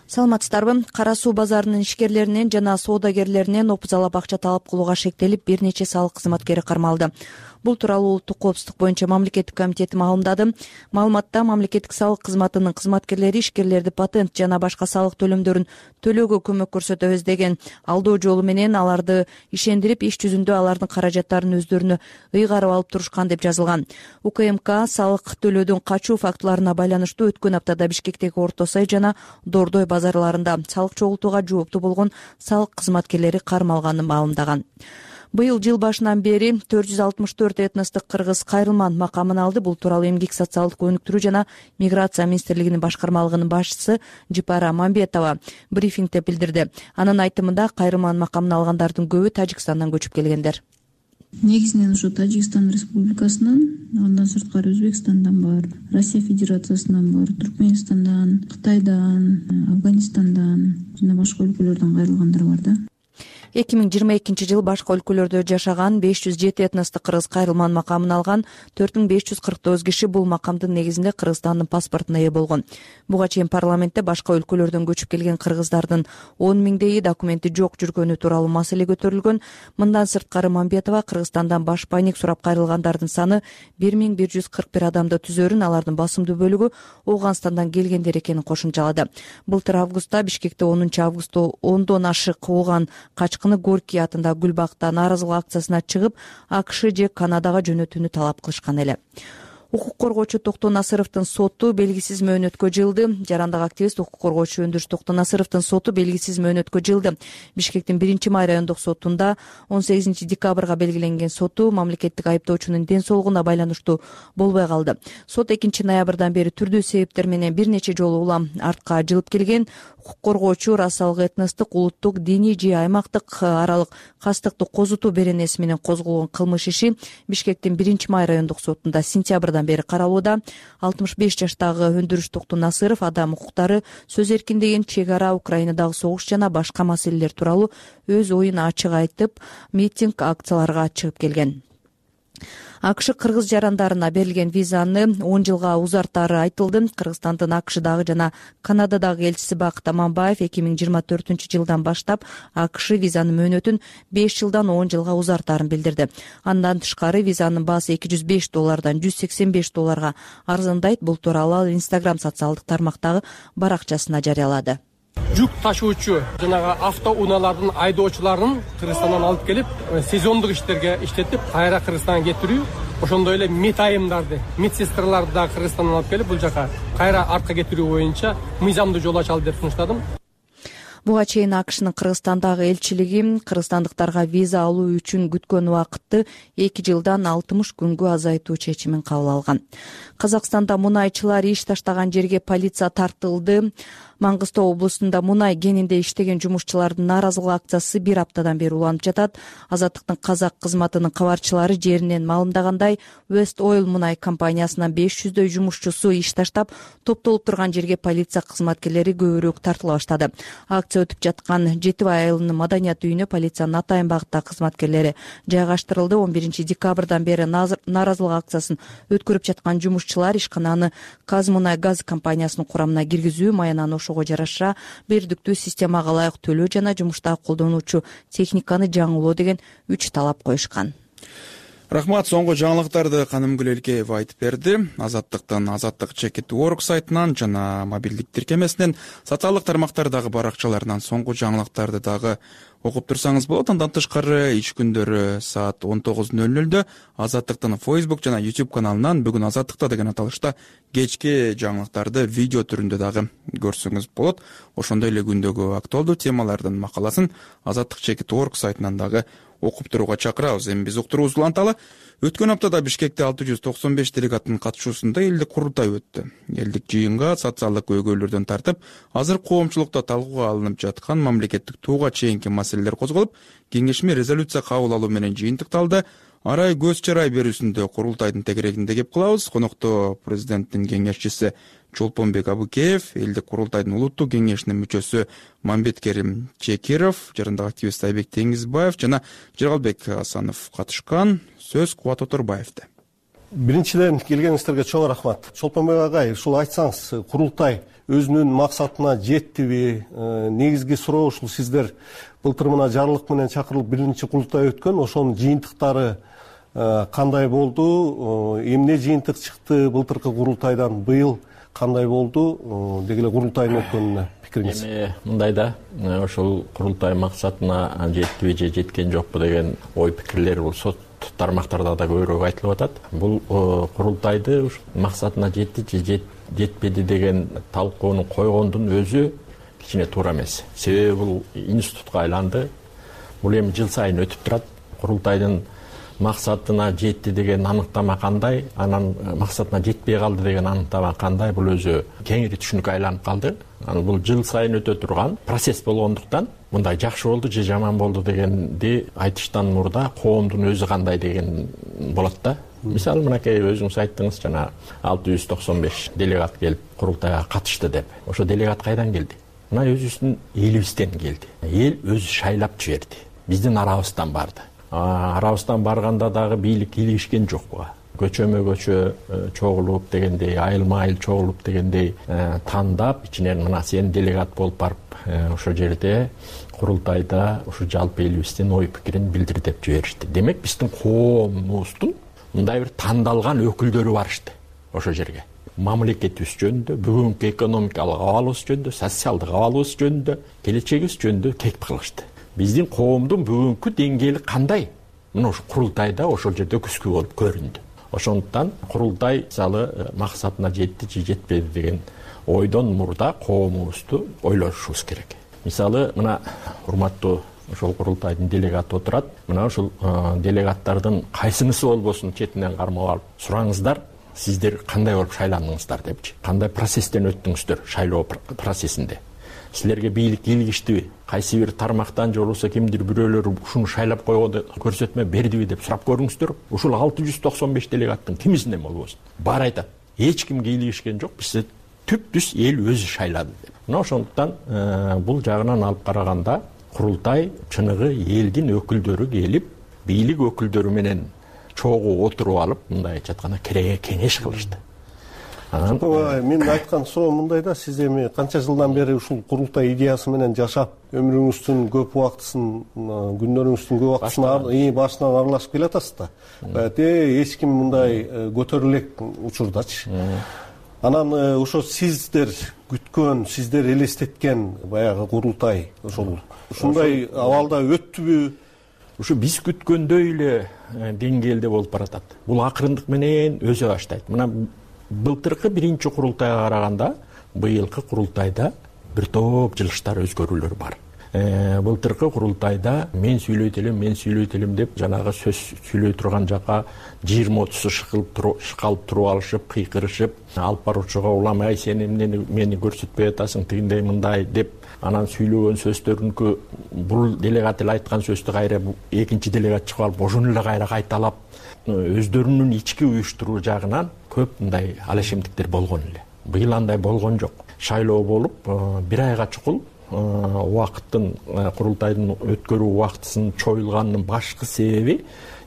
Саламатсыздарбы? Кара суу базарынын ишкерлеринен жана соодагерлеринен опузалап акча талап кылууга шектелип, бир нече салык кызматкери кармалды. Бул тууралуу Улуттук коопсуздук боюнча мамлекеттик комитети маалымдады. Маалыматта мамлекеттик салык кызматынын кызматкерлери ишкерлерди патент жана башка салык төлөмдөрүн төлөөгө көмөк көрсөтөбүз деген алдоо жолу менен аларды ишендирип, иш жүзүндө алардын каражаттарын өздөрүнө ыйгарып алып турушкан деп жазылган. УКМК салык төлөөдөн качуу фактыларына байланыштуу өткөн аптада Бишкектеги Орто Сай жана Дордой базарларында салык чогултууга жооптуу болгон салык кызматкерлери кармалганын маалымдаган. Быйыл жыл башынан бери төрт жүз алтымыш төрт этностук кыргыз кайрылман макамын алды. Бул тууралуу эмгек социалдык өнүктүрүү жана миграция министрлигинин башкармалыгынын башчысы Жипара Мамбетова брифингде билдирди. Анын айтымында кайрылман макамын алгандардын көбү Тажикстандан көчүп келгендер. Негизинен ошо Тажикстан Республикасынан, андан сырткары Өзбекстандан бар, Россия Федерациясынан бар, Түркменистандан, Кытайдан, Афганистандан жана башка өлкөлөрдөн кайрылгандар бар да. эки миң жыйырма экинчи жылы башка өлкөлөрдө жашаган беш жүз жети этностук кыргыз кайрылман макамын алган төрт миң беш жүз кырк тогуз киши бул макамдын негизинде Кыргызстандын паспортуна ээ болгон. Буга чейин парламентте башка өлкөлөрдөн көчүп келген кыргыздардын он миңдейи документи жок жүргөнү тууралуу маселе көтөрүлгөн. Мындан сырткары Мамбетова Кыргызстандан баш пайник сурап кайрылгандардын саны бир миң бир жүз кырк бир адамды түзөрүн, алардын басымдуу бөлүгү Ооганстандан келгендер экенин кошумчалады. Былтыр августта Бишкекте онунчу августта ондон ашык кууган кач Горький атындагы Гүлбакта нааразылык акциясына чыгып, АКШ же Канадага жөнөтүүнү талап кылышкан эле. Укук коргоочу Токтоо Насыровдун соту белгисиз мөөнөткө жылды. Жарандык активист укук коргоочу Өндүрүш Токтоо Насыровдун соту белгисиз мөөнөткө жылды. Бишкектин биринчи май райондук сотунда он сегизинчи декабрга белгиленген соту мамлекеттик айыптоочунун ден соолугуна байланыштуу болбой калды. Сот экинчи ноябрдан бери түрдүү себептер менен бир нече жолу улам артка жылып келген. Укук коргоочу расалык этностук, улуттук, диний же аймактык аралык кастыктуу козутуу беренеси менен козголгон кылмыш иши Бишкектин биринчи май райондук сотунда сентябрдан бери каралууда. алтымыш беш жаштагы Өндүрүш Токтоо Насыров адам укуктары, сөз эркиндигин, чек ара, Украинадагы согуш жана башка маселелер тууралуу өз оюн ачык айтып, митинг, акцияларга чыгып келген. АКШ кыргыз жарандарына берилген визаны он жылга узартаары айтылды. Кыргызстандын АКШдагы жана Канададагы элчиси Бакыт Аманбаев эки миң жыйырма төртүнчү жылдан баштап АКШ визанын мөөнөтүн беш жылдан он жылга узартаарын билдирди. Андан тышкары визанын баасы эки жүз беш доллардан жүз сексен беш долларга арзандайт. Бул тууралуу ал Инстаграм социалдык тармактагы баракчасына жарыялады. Жүк ташуучу жанагы автоунаалардын айдоочуларын Кыргызстандан алып келип, сезондук иштерге иштетип, кайра Кыргызстанга кетирүү, ошондой эле мед айымдарды, медсестраларды да Кыргызстандан алып келип, бул жака кайра артка кетирүү боюнча мыйзамдуу жол ачалы деп сунуштадым. Буга чейин АКШнын Кыргызстандагы элчилиги кыргызстандыктарга виза алуу үчүн күткөн убакытты эки жылдан алтымыш күнгө азайтуу чечимин кабыл алган. Казакстанда мунайчылар иш таштаган жерге полиция тартылды. Маңгыстау облусунда мунай кенинде иштеген жумушчулардын нааразылык акциясы бир аптадан бери уланып жатат. Азаттыктын казак кызматынын кабарчылары жеринен маалымдагандай, West Oil мунай компаниясынын беш жүздөй жумушчусу иш таштап, топтолуп турган жерге полиция кызматкерлери көбүрөөк тартыла баштады. акция өтүп жаткан Жети Бай айылынын маданият үйүнө полициянын Атайын багыттагы кызматкерлери жайгаштырылды. он биринчи декабрдан бери нааразылык акциясын өткөрүп жаткан жумушчулар ишкананы Казмунайгаз компаниясынын курамына киргизүү, маянаны ошого жараша бердиктүү системага ылайык төлөө жана жумуштагы колдонуучу техниканы жаңылоо деген үч талап коюшкан. Рахмат. Соңку жаңылыктарды Канымгүл Элкеева айтып берди. Азаттыктын азаттык чекит точка орг сайтынан жана мобилдик тиркемесинен, социалдык тармактардагы баракчаларынан соңку жаңылыктарды дагы окуп турсаңыз болот. Андан тышкары иш күндөрү саат он тогуз ноль нольдө Азаттыктын Facebook жана YouTube каналынан бүгүн Азаттыкта деген аталышта кечки жаңылыктарды видео түрүндө дагы көрсөңүз болот. Ошондой эле күндөгү актуалдуу темалардын макаласын Азаттык чекит точка орг сайтынан дагы окуп турууга чакырабыз. Эми биз уктуруубузду уланталы. Өткөн аптада Бишкекте алты жүз токсон беш делегаттын катышуусунда элдик курултай өттү. Элдик жыйынга социалдык көйгөйлөрдөн тартып, азыр коомчулукта талкууга алынып жаткан мамлекеттик тууга чейинки маселелер козголуп, кеңешме резолюция кабыл алуу менен жыйынтыкталды. Арай көз чарай берүүсүндө курултайдын тегерегинде кеп калабыз. Конокто президенттин кеңешчиси Чолпонбек Абыкеев, элдик курултайдын улуттук кеңешинин мүчөсү Мамбеткерим Чекиров, жарандык активист Айбек Теңизбаев жана Жергалбек Асанов катышкан. Сөз Кубат Оторбаевде. Биринчиден келгениңиздерге чоң рахмат. Чолпонбек агай, ушул айтсаңыз, курултай өзүнүн максатына жеттиби? Негизги суроо ушул, сиздер былтыр мына жарлык менен чакырылып биринчи курултай өткөн, ошонун жыйынтыктары кандай болду? Эмне жыйынтык чыкты былтыркы курултайдан? Быйыл кандай болду? Деги эле курултайдын өткөнүнө пикириңиз. Эми мындай да, ошол курултай максатына жеттиби же жеткен жокпу деген ой пикирлер бул сот тармактарда да көбүрөөк айтылып атат. Бул курултайды максатына жетти же жетпеди деген талкууну койгондун өзү кичине туура эмес. Себеби бул институтка айланды. Бул эми жыл сайын өтүп турат. Курултайдын максатына жетти деген аныктама кандай, анан максатына жетпей калды деген аныктама кандай, бул өзү кеңири түшүнүккө айланып калды. Анан бул жыл сайын өтө турган процесс болгондуктан мындай жакшы болду же жаман болду дегенди айтыштан мурда коомдун өзү кандай деген болот да. Мисалы мынакей өзүңүз айттыңыз, жана алты жүз токсон беш делегат келип курултайга катышты деп. Ошо делегат кайдан келди? Мына өзүбүздүн элибизден келди. Эл өзү шайлап жиберди. Биздин арабыздан барды. Арабыздан барганда дагы бийлик кийлигишкен жок буга. Көчөмө көчө чогулуп дегендей, айылма айыл чогулуп дегендей тандап, ичинен мына сен делегат болуп барып ошол жерде курултайда ушу жалпы элибиздин ой пикирин билдир деп жиберишти. Демек биздин коомубуздун мындай бир тандалган өкүлдөрү барышты ошол жерге. Мамлекетибиз жөнүндө, бүгүнкү экономикалык абалыбыз жөнүндө, социалдык абалыбыз жөнүндө, келечегибиз жөнүндө кекип кылышты. Биздин коомдун бүгүнкү деңгээли кандай? Мына ошол курултайда ошол жерде күскү болуп көрүндү. Ошондуктан курултай мисалы максатына жетти же жетпеди деген ойдон мурда коомубузду ойлошубуз керек. Мисалы мына урматтуу ошол курултайдын делегаты отурат. Мына ошол делегаттардын кайсынысы болбосун четинен кармап алып сураңыздар, сиздер кандай болуп шайландыңыздар депчи. Кандай процесстен өттүңүздөр шайлоо процессинде? Силерге бийлик кийлигиштиби? Кайсы бир тармактан же болбосо кимдир бирөөлөр ушуну шайлап койгонду көрсөтмө бердиби деп сурап көрүңүздөр. Ушул алты жүз токсон беш делегаттын кимисинен болбосун баары айтат. Эч ким кийлигишкен жок, бизде түп-түз эл өзү шайлады деп. Мына ошондуктан бул жагынан алып караганда курултай чыныгы элдин өкүлдөрү келип, бийлик өкүлдөрү менен чогуу отуруп алып, мындай айтканда кереге кеңеш кылышты. Мен айткан суроом мындай да, сиз эми канча жылдан бери ушул курултай идеясы менен жашап, өмүрүңүздүн көп убактысын, күндөрүңүздүн көп убактысын башынан аралашып келатасыз да. Баягы эч ким мындай көтөрүлө элек учурдачы. Анан ошо сиздер күткөн, сиздер элестеткен баягы курултай ошол ушундай абалда өттүбү? Ушу биз күткөндөй эле деңгээлде болуп баратат. Бул акырындык менен өзө баштайт. Мына былтыркы биринчи курултайга караганда быйылкы курултайда бир топ жылыштар өзгөрүүлөр бар. Былтыркы курултайда мен сүйлөйт элем, мен сүйлөйт элем деп жанагы сөз сүйлөй турган жака жыйырма отузу шыкалып туруп алышып, кыйкырышып, алып баруучуга улам ай сен эмнени мени көрсөтпөй атасың, тигиндей мындай деп анан сүйлөгөн сөздөрүнкү бул делегат эле айткан сөздү кайра экинчи делегат чыгып алып ошону эле кайра кайталап өздөрүнүн ички уюштуруу жагынан көп мындай алешемдиктер болгон эле. Быйыл андай болгон жок. Шайлоо болуп бир айга чукул убакыттын курултайдын өткөрүү убактысынын чоюлганынын башкы себеби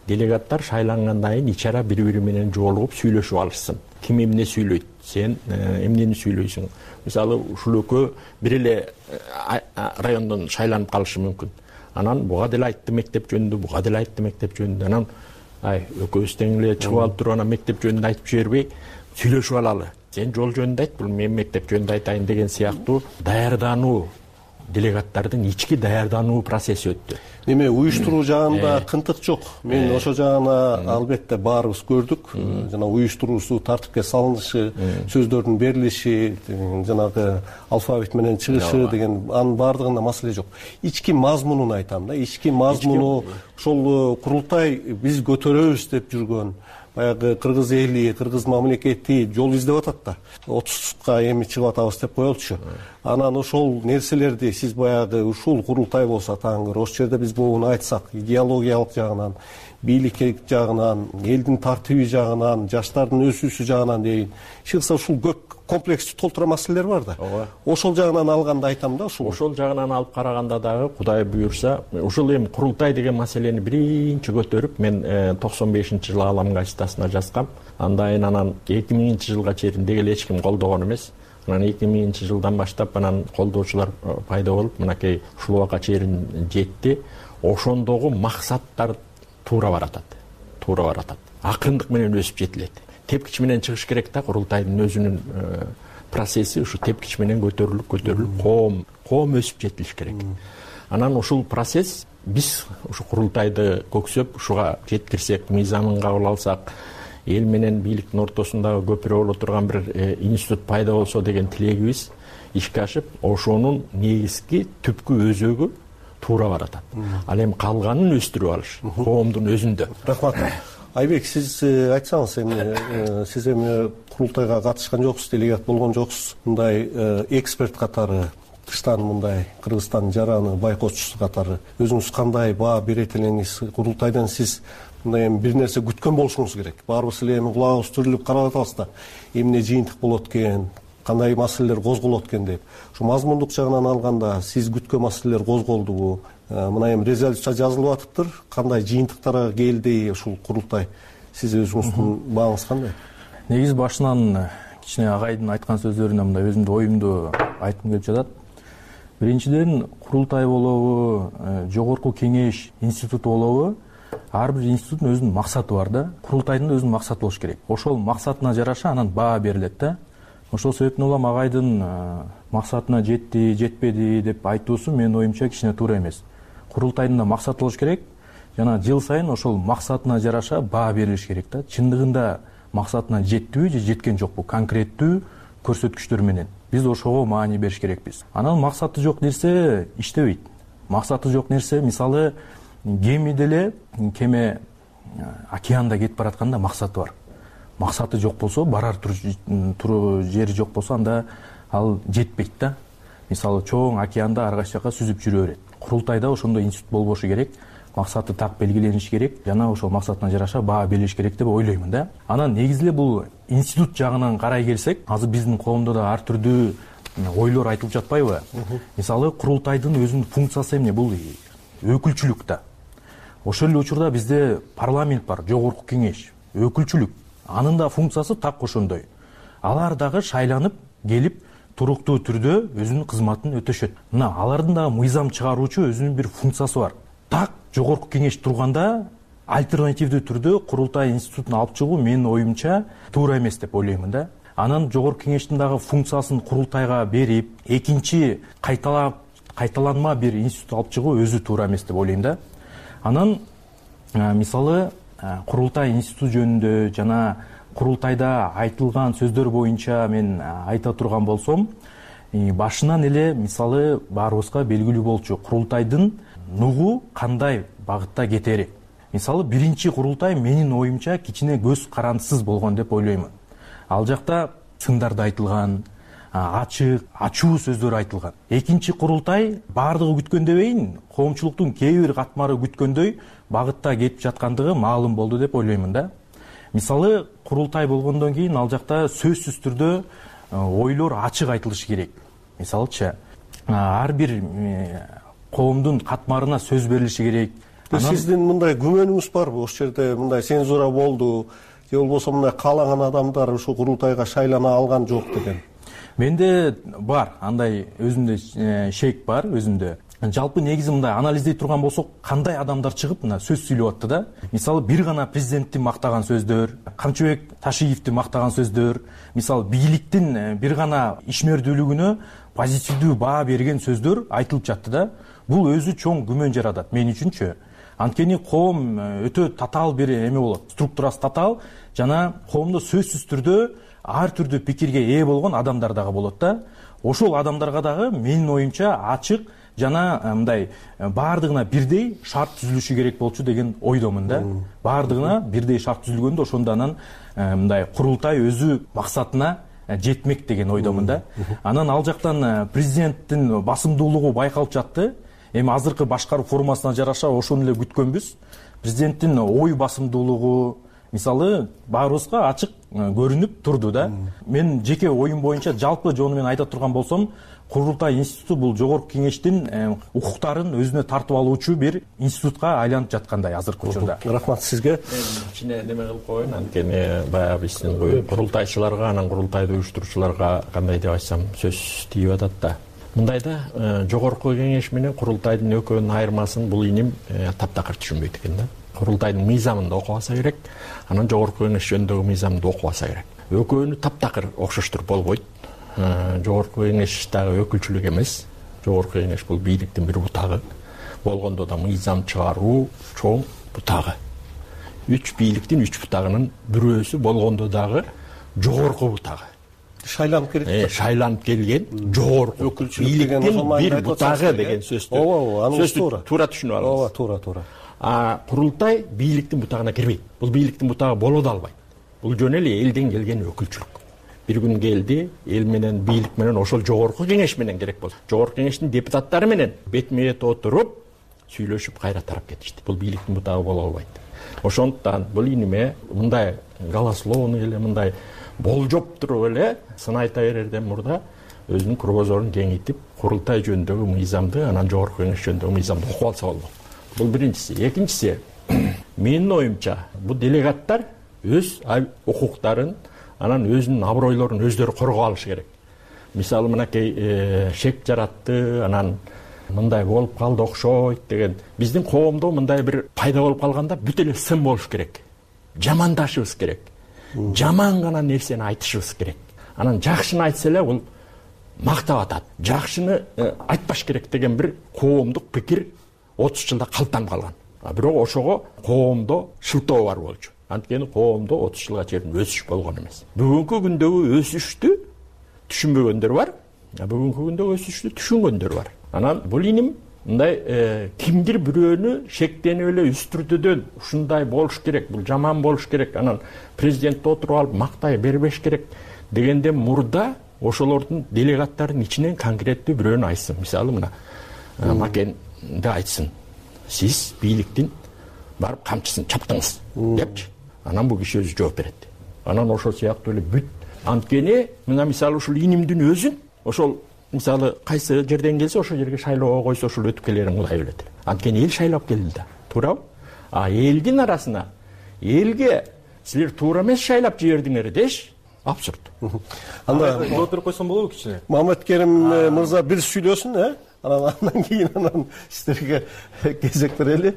делегаттар шайлангандан кийин ич ара бири бири менен жолугуп сүйлөшүп алышсын. Ким эмне сүйлөйт, сен эмнени сүйлөйсүң. Мисалы ушул экөө бир эле райондон шайланып калышы мүмкүн. Анан буга деле айтты мектеп жөнүндө, буга деле айтты мектеп жөнүндө. Анан ай экөөбүз тең эле чыгып алып туруп анан мектеп жөнүндө айтып жибербей сүйлөшүп алалы. Сен жол жөнүндө айт, бул мен мектеп жөнүндө айтайын деген сыяктуу даярдануу, делегаттардын ички даярдануу процесси өттү. Неме уюштуруу жагында кынтык жок. Мен ошо жагына албетте баарыбыз көрдүк. Жана уюштуруусу, тартипке салынышы, сөздөрдүн берилиши, жанагы алфавит менен чыгышы деген анын баардыгында маселе жок. Ички мазмунун айтам да. Ички мазмуну ошол курултай биз көтөрөбүз деп жүргөн баягы кыргыз эли, кыргыз мамлекети жол издеп атат да. отузга эми чыгып атабыз деп коелучу. Анан ошол нерселерди сиз баягы ушул курултай болсо таңыр, ошол жерде биз буну айтсак, идеологиялык жагынан, бийлик жагынан, элдин тартиби жагынан, жаштардын өсүүсү жагынан дейин, чыкса ушул көп комплекстүү толтура маселелер бар да. Ошол жагынан алганда айтам да, ушул. Ошол жагынан алып караганда дагы Кудай буюрса, ушул эми курултай деген маселени биринчи көтөрүп, мен токсон бешинчи жылы Алам газетасына жазгам. Андан анан эки миңинчи жылга чейин деги эле эч ким колдогон эмес. Анан эки миңинчи жылдан баштап анан колдоочулар пайда болуп, мынакей ушул убакка чейин жетти. Ошондогу максаттар туура баратат. Туура баратат. Акырындык менен өсүп жетилет. Тепкич менен чыгыш керек да, курултайдын өзүнүн процесси ушу тепкич менен көтөрүлүп, көтөрүлүп, коом, коом өсүп жетилиш керек. Анан ушул процесс биз ушу курултайды көксөп, ушуга жеткирсек, мыйзамын кабыл алсак, эл менен бийликтин ортосундагы көпүрө боло турган бир институт пайда болсо деген тилегибиз ишке ашып, ошонун негизги түпкү өзөгү туура баратат. Ал эми калганын өстүрүп алыш, коомдун өзүндө. Рахмат. Айбек, сиз айтсаңыз, эми сиз эми курултайга катышкан жоксуз, делегат болгон жоксуз. Мындай эксперт катары, тыштан мындай Кыргызстандын жараны байкоочусу катары өзүңүз кандай баа берет элеңиз? Курултайдан сиз мындай эми бир нерсе күткөн болушуңуз керек. Баарыбыз эле эми кулагыбыз түрүлүп карап атабыз да, эмне жыйынтык болот экен, кандай маселелер козголот экен деп. Ушу мазмундук жагынан алганда сиз күткөн маселелер козголдубу? Мына эми резолюция жазылып атыптыр. Кандай жыйынтыктарга келди ушул курултай? Сиз өзүңүздүн бааңыз кандай? Негизи башынан кичине агайдын айткан сөздөрүнө мындай өзүмдүн оюмду айткым келип жатат. Биринчиден, курултай болобу, жогорку кеңеш институту болобу, ар бир институттун өзүнүн максаты бар да. Курултайдын да өзүнүн максаты болуш керек. Ошол максатына жараша анан баа берилет да. Ошол себептен улам агайдын максатына жетти, жетпеди деп айтуусу менин оюмча кичине туура эмес. Курултайдын да максаты болуш керек. Жана жыл сайын ошол максатына жараша баа берилиш керек да. Чындыгында максатына жеттиби же жеткен жокпу конкреттүү көрсөткүчтөр менен. Биз ошого маани бериш керекпиз. Анан максаты жок нерсе иштебейт. Максаты жок нерсе, мисалы, кеме деле, кеме океанда кетип баратканда максаты бар. Максаты жок болсо, барар туру жери жок болсо, анда ал жетпейт да. Мисалы, чоң океанда ар кайсы жака сүзүп жүрө берет. Курултайда ошондой институт болбошу керек. Максаты так белгилениш керек, жана ошол максатына жараша баа берилиш керек деп ойлоймун да. Анан негизи эле бул институт жагынан карай келсек, азыр биздин коомдо да ар түрдүү ойлор айтылып жатпайбы? Мисалы, курултайдын өзүнүн функциясы эмне? Бул өкүлчүлүк да. Ошол эле учурда бизде парламент бар, жогорку кеңеш, өкүлчүлүк. Анын да функциясы так ошондой. Алар дагы шайланып келип туруктуу түрдө өзүнүн кызматын өтөшөт. Мына алардын да мыйзам чыгаруучу өзүнүн бир функциясы бар. Так жогорку кеңеш турганда альтернативдүү түрдө курултай институтун алып чыгуу менин оюмча туура эмес деп ойлоймун да. Анан жогорку кеңештин дагы функциясын курултайга берип, экинчи кайталап кайталанма бир институт алып чыгуу өзү туура эмес деп ойлойм да. Анан мисалы курултай институт жөнүндө жана курултайда айтылган сөздөр боюнча мен айта турган болсом, башынан эле мисалы баарыбызга белгилүү болчу курултайдын нугу кандай багытта кетери. Мисалы биринчи курултай менин оюмча кичине көз карандысыз болгон деп ойлоймун. Ал жакта сындарды айтылган, ачык, ачуу сөздөр айтылган. Экинчи курултай баардыгы күткөндөйбейин, коомчулуктун кээ бир катмары күткөндөй багытта кетип жаткандыгы маалым болду деп ойлоймун да. Мисалы курултай болгондон кийин ал жакта сөзсүз түрдө ойлор ачык айтылышы керек. Мисалычы, ар бир коомдун катмарына сөз берилиши керек. Сиздин мындай күмөнүңүз барбы? Ошол жерде мындай цензура болду же болбосо мындай каалаган адамдар ушул курултайга шайлана алган жок деген? Менде бар, андай өзүмдө шек бар, өзүмдө. Жалпы негизи мындай анализдей турган болсок, кандай адамдар чыгып мына сөз сүйлөп атты да. Мисалы бир гана президентти мактаган сөздөр, Камчыбек Ташиевди мактаган сөздөр, мисалы бийликтин бир гана ишмердүүлүгүнө позитивдүү баа берген сөздөр айтылып жатты да. Бул өзү чоң күмөн жаратат мен үчүнчү. Анткени коом өтө татаал бир эме болот, структурасы татаал жана коомдо сөзсүз түрдө ар түрдүү пикирге ээ болгон адамдар дагы болот да. Ошол адамдарга дагы менин оюмча ачык жана мындай баардыгына бирдей шарт түзүлүшү керек болчу деген ойдомун да. Баардыгына бирдей шарт түзүлгөндө ошондо анан мындай курултай өзү максатына жетмек деген ойдомун да. Анан ал жактан президенттин басымдуулугу байкалып жатты. Эми азыркы башкаруу формасына жараша ошону эле күткөнбүз. Президенттин ой басымдуулугу мисалы баарыбызга ачык көрүнүп турду да. Мен жеке оюм боюнча жалпы жону менен айта турган болсом, Курултай институту бул жогорку кеңештин укуктарын өзүнө тартып алуучу бир институтка айланып жаткандай азыркы учурда. Рахмат сизге. Кичине неме кылып коеюн, анткени баягы биздин курултайчыларга, анан курултайды уюштуруучуларга кандай деп айтсам сөз тийип атат да. Мындайда жогорку кеңеш менен курултайдын экөөнүн айырмасын бул иним таптакыр түшүнбөйт экен да. Курултайдын мыйзамын да окуп алса керек, анан жогорку кеңеш жөнүндөгү мыйзамды да окуп алса керек. Экөөнү таптакыр окшоштур болбойт. Жогорку кеңеш дагы өкүлчүлүк эмес. Жогорку кеңеш бул бийликтин бир бутагы. Болгондо да мыйзам чыгаруу чоң бутагы. Үч бийликтин үч бутагынын бирөөсү болгондо дагы жогорку бутагы. Шайланып келет. Э, шайланып келген жогорку бийликтин бир бутагы деген сөздү. Ооба, ооба, анын туура. Туура түшүнүп алыңыз. Ооба, туура, туура. А курултай бийликтин бутагына кирбейт. Бул бийликтин бутагы боло да албайт. Бул жөн эле элден келген өкүлчүлүк. Бир күн келди, эл менен бийлик менен ошол жогорку кеңеш менен керек болду. Жогорку кеңештин депутаттары менен бетме бет отуруп сүйлөшүп кайра тарап кетишти. Бул бийликтин бутагы боло албайт. Ошондуктан бул иниме мындай голословный эле мындай болжоп туруп эле сын айта берерден мурда өзүнүн кругозорун кеңейтип, курултай жөнүндөгү мыйзамды, анан жогорку кеңеш жөнүндөгү мыйзамды окуп алса болмок. Бул биринчиси. Экинчиси, менин оюмча, бул делегаттар өз укуктарын, анан өзүнүн абройлорун өздөрү коргоп алышы керек. Мисалы мынакей шек жаратты, анан мындай болуп калды окшойт деген. Биздин коомдо мындай бир пайда болуп калганда бүт эле сын болуш керек. Жамандашыбыз керек. Жаман гана нерсени айтышыбыз керек. Анан жакшыны айтса эле бул мактап атат. Жакшыны айтпаш керек деген бир коомдук пикир отуз жылда калыптанып калган. А бирок ошого коомдо шылтоо бар болчу. Анткени коомдо отуз жылга чейин өсүш болгон эмес. Бүгүнкү күндөгү өсүштү түшүнбөгөндөр бар, а бүгүнкү күндөгү өсүштү түшүнгөндөр бар. Анан бул иним мындай кимдир бирөөнү шектенип эле үстүртөдөн ушундай болуш керек, бул жаман болуш керек, анан президентти отуруп алып мактай бербеш керек дегенден мурда ошолордун делегаттардын ичинен конкреттүү бирөөнү айтсын. Мисалы мына Макенди айтсын. Сиз бийликтин барып камчысын чаптыңыз депчи. Анан бул киши өзү жооп берет. Анан ошол сыяктуу эле бүт. Анткени мына мисалы ушул инимдин өзүн ошол мисалы кайсы жерден келсе ошол жерге шайлоого койсо ошол өтүп келерин Кудай билет. Анткени эл шайлап келди да. Туурабы? А элдин арасына элге силер туура эмес шайлап жибердиңер деш абсурд. Анда отуруп койсом болобу кичине? Маматкерим мырза бир сүйлөсүн, э? Анан кийин анан сиздерге кезек берели.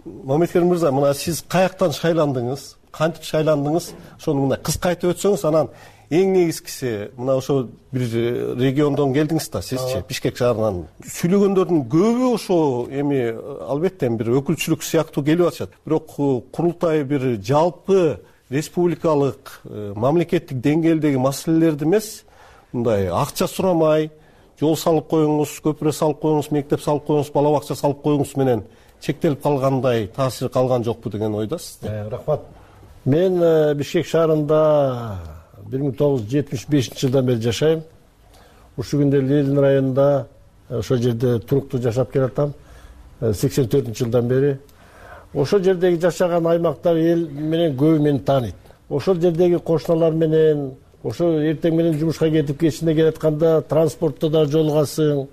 Маматкерим мырза, мына сиз каяктан шайландыңыз? Кантип шайландыңыз? Ошону мына кыска айтып өтсөңүз, анан эң негизгиси мына ошо бир региондон келдиңиз да, сизчи, Бишкек шаарынан. Сүйлөгөндөрдүн көбү ошо эми албетте бир өкүлчүлүк сыяктуу келип атышат. Бирок курултай бир жалпы республикалык, мамлекеттик деңгээлдеги маселелерди эмес, мындай акча сурамай, жол салып коюңуз, көпүрө салып коюңуз, мектеп салып коюңуз, бала бакча салып коюңуз менен чектелип калгандай таасир калган жокпу деген ойдасыз. Рахмат. Мен Бишкек шаарында бир миң тогуз жүз жетимиш бешинчи жылдан бери жашайм. Ушул күндө Ленин районунда ошол жерде туруктуу жашап келатам. сексен төртүнчү жылдан бери. Ошол жердеги жашаган аймактар эл менен көбү мени тааныйт. Ошол жердеги кошуналар менен, ошо эртең менен жумушка кетип кечинде келатканда транспортто да жолугасың,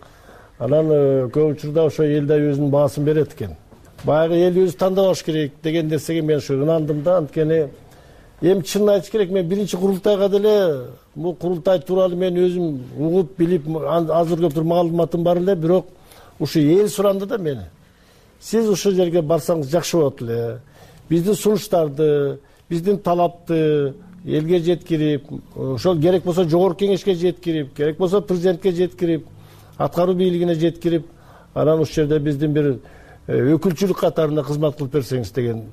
анан көп учурда ошо эл да өзүнүн баасын берет экен. Баягы эл өзү тандабаш керек деген нерсеге мен ушу ынандым да. Анткени эми чынын айтыш керек, мен биринчи курултайга деле бул курултай тууралуу мен өзүм угуп билип азыр көптүр маалыматым бар эле, бирок ушу эл суранды да мени. Сиз ушул жерге барсаңыз жакшы болот эле. Биздин сунуштарды, биздин талапты элге жеткирип, ошол керек болсо жогорку кеңешке жеткирип, керек болсо президентке жеткирип, аткаруу бийлигине жеткирип, анан ушул жерде биздин бир өкүлчүлүк катарында кызмат кылып берсеңиз деген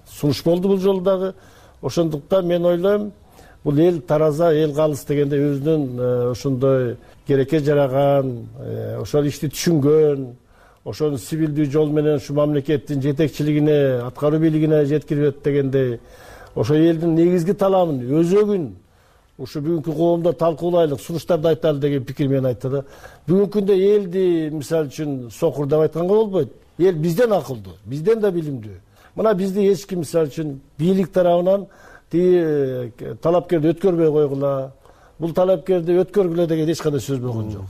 сунуш болду бул жолу дагы. Ошондуктан мен ойлойм, бул эл тараза, эл калыс дегенде өзүнүн ошондой керекке жараган, ошол ишти түшүнгөн, ошону сибилдүү жол менен ушу мамлекеттин жетекчилигине, аткаруу бийлигине жеткирет дегендей, ошо элдин негизги талабын, өзөгүн ушу бүгүнкү коомдо талкуулайлык, сунуштарды айталы деген пикир менен айтты да. Бүгүнкү күндө элди мисалы үчүн сокур деп айтканга болбойт. Эл бизден акылдуу, бизден да билимдүү. Мына бизди эч ким мисалы үчүн бийлик тарабынан тиги талапкерди өткөрбөй койгула, бул талапкерди өткөргүлө деген эч кандай сөз болгон жок.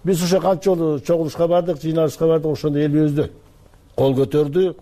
Биз ошо канча жолу чогулушка бардык, жыйналышка бардык, ошондо эл өзү кол көтөрдү.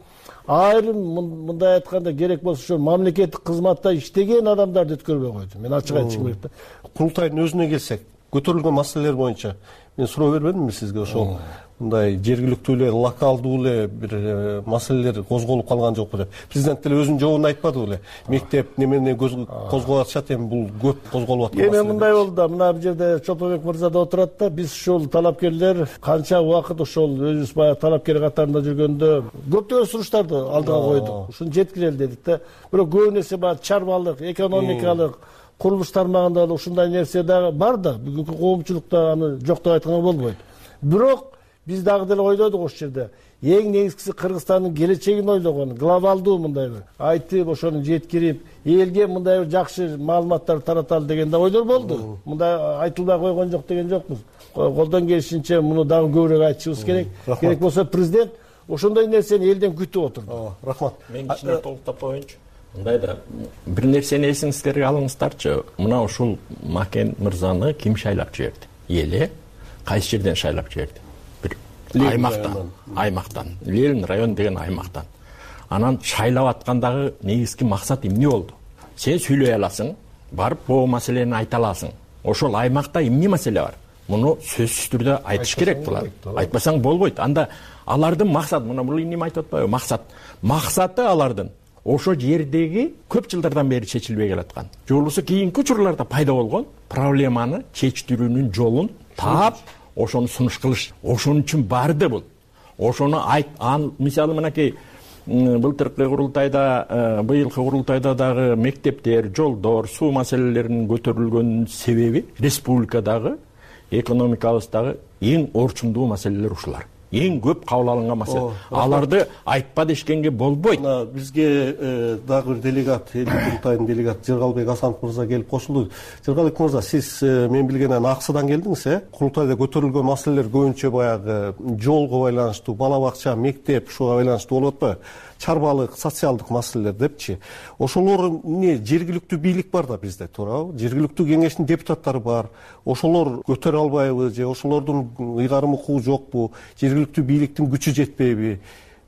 Айрым мындай айтканда керек болсо ошо мамлекеттик кызматта иштеген адамдарды өткөрбөй койду. Мен ачык айтышым керек да. Курултайдын өзүнө келсек, көтөрүлгөн маселелер боюнча мен суроо бербедимби сизге? Ошол мындай жергиликтүү эле, локалдуу эле бир маселелер козголуп калган жокпу деп. Президент деле өзүнүн жообунда айтпадыбы эле? Мектеп немени козгоп атышат, эми бул көп козголуп аткан маселе. Эми мындай болду да, мына бул жерде Чолпонбек мырза да отурат да, биз ушул талапкерлер канча убакыт ошол өзүбүз баягы талапкер катарында жүргөндө көптөгөн сунуштарды алдыга койдук. Ушуну жеткирели дедик да. Бирок көп нерсе баягы чарбалык, экономикалык, курулуш тармагында да ушундай нерсе дагы бар да. Бүгүнкү коомчулукта аны жок деп айтканга болбойт. Бирок биз дагы деле ойлодук ошол жерде. Эң негизгиси Кыргызстандын келечегин ойлогон, глобалдуу мындай бир айтып, ошону жеткирип, элге мындай бир жакшы маалыматтар тараталы деген да ойлор болду. Мындай айтылбай койгон жок деген жокпуз. Колдон келишинче муну дагы көбүрөөк айтышыбыз керек. Керек болсо президент ошондой нерсени элден күтүп отурду. Рахмат. Мен кичине толуктап коеюнчу. Мындай да бир нерсени эсиңизге алыңыздарчы. Мына ушул Макен мырзаны ким шайлап жиберди? Эли кайсы жерден шайлап жиберди? Аймактан, аймактан, Ленин район деген аймактан. Анан шайлап аткандагы негизги максат эмне болду? Сен сүйлөй аласың, барып бул маселени айта аласың. Ошол аймакта эмне маселе бар? Муну сөзсүз түрдө айтыш керек булар. Айтпасаң болбойт. Анда алардын максаты, мына бул эмне айтып атпайбы? Максат. Максаты алардын ошо жердеги көп жылдардан бери чечилбей келаткан, же болбосо кийинки учурларда пайда болгон проблеманы чечтирүүнүн жолун таап, ошону сунуш кылыш. Ошон үчүн барды бул. Ошону айт, мисалы мынакей былтыркы курултайда, быйылкы курултайда дагы мектептер, жолдор, суу маселелеринин көтөрүлгөн себеби республикадагы экономикабыздагы эң орчундуу маселелер ушулар. Эң көп кабыл алынган маселе. Аларды айтпа дешкенге болбойт. Бизге дагы бир делегат, эл курултайдын делегаты Жыргалбек Асанов мырза келип кошулду. Жыргалбек мырза, сиз мен билгенден Аксыдан келдиңиз, э? Курултайда көтөрүлгөн маселелер көбүнчө баягы жолго байланыштуу, бала бакча, мектеп, ушуга байланыштуу болуп атпайбы? Чарбалык, социалдык маселелер депчи. Ошолор эмне, жергиликтүү бийлик бар да бизде, туурабы? Жергиликтүү кеңештин депутаттары бар. Ошолор көтөрө албайбы же ошолордун ыйгарым укугу жокпу? Жергиликтүү бийликтин күчү жетпейби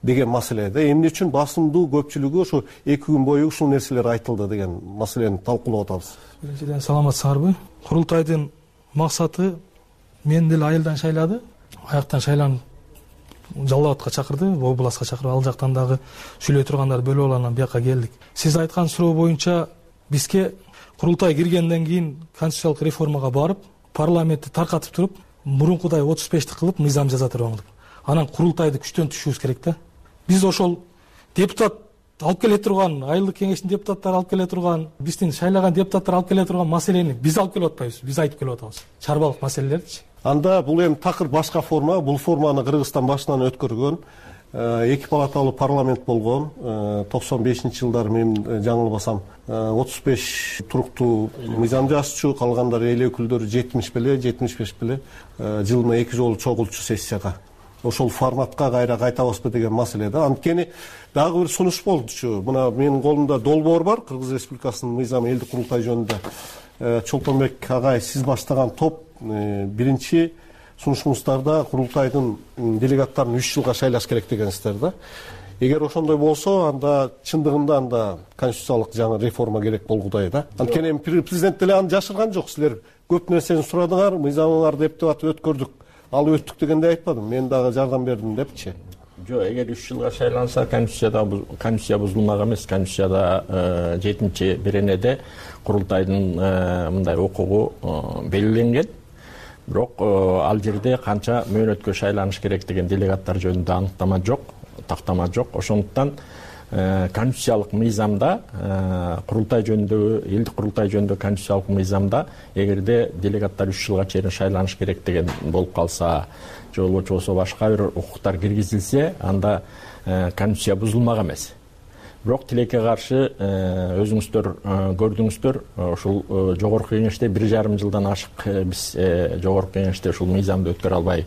деген маселе да. Эмне үчүн басымдуу көпчүлүгү ошо эки күн бою ушул нерселер айтылды деген маселени талкуулап атабыз. Биринчиден саламатсыңарбы? Курултайдын максаты мен деле айылдан шайлады. Аяктан шайланып Жалал абадка чакырды, областка чакырып, ал жактан дагы сүйлөй тургандарды бөлүп алып анан бияка келдик. Сиз айткан суроо боюнча бизге курултай киргенден кийин конституциялык реформага барып, парламентти таркатып туруп, мурункудай отуз бешти кылып мыйзам жаза турган. Анан курултайды күчтөн түшүүбүз керек да. Биз ошол депутат алып келе турган, айылдык кеңештин депутаттары алып келе турган, биздин шайлаган депутаттар алып келе турган маселени биз алып келип атпайбыз, биз айтып келип атабыз. Чарбалык маселелердичи. Анда бул эми такыр башка форма, бул форманы Кыргызстан башынан өткөргөн, эки палаталуу парламент болгон, токсон бешинчи жылдары мен жаңылбасам отуз беш туруктуу мыйзам жазчу, калгандары эл өкүлдөрү жетимиш беле, жетимиш беш беле жылына эки жолу чогулчу сессияга. Ошол форматка кайра кайтабызбы деген маселе да. Анткени дагы бир сунуш болдучу. Мына менин колумда долбоор бар, Кыргыз Республикасынын мыйзамы элдик курултай жөнүндө. Чолпонбек агай, сиз баштаган топ биринчи сунушуңуздарда курултайдын делегаттарын үч жылга шайлаш керек дегенсиздер да. Эгер ошондой болсо, анда чындыгында анда конституциялык жаңы реформа керек болгудай да. Анткени эми президент деле аны жашырган жок. Силер көп нерсени сурадыңар, мыйзамыңарды эптеп атып өткөрдүк, ал өттүк дегенде айтпадым. Мен дагы жардам бердим депчи. Жок, эгер үч жылга шайланса, конституцияда конституция бузулмак эмес. Конституцияда жетинчи беренеде курултайдын мындай укугу белгиленген. Бирок ал жерде канча мөөнөткө шайланыш керек деген делегаттар жөнүндө аныктама жок, тактама жок. Ошондуктан конституциялык мыйзамда, курултай жөнүндөгү, элдик курултай жөнүндө конституциялык мыйзамда эгерде делегаттар үч жылга чейин шайланыш керек деген болуп калса, же болбосо башка бир укуктар киргизилсе, анда конституция бузулмак эмес. Бирок тилекке каршы өзүңүздөр көрдүңүздөр, ушул жогорку кеңеште бир жарым жылдан ашык биз жогорку кеңеште ушул мыйзамды өткөрө албай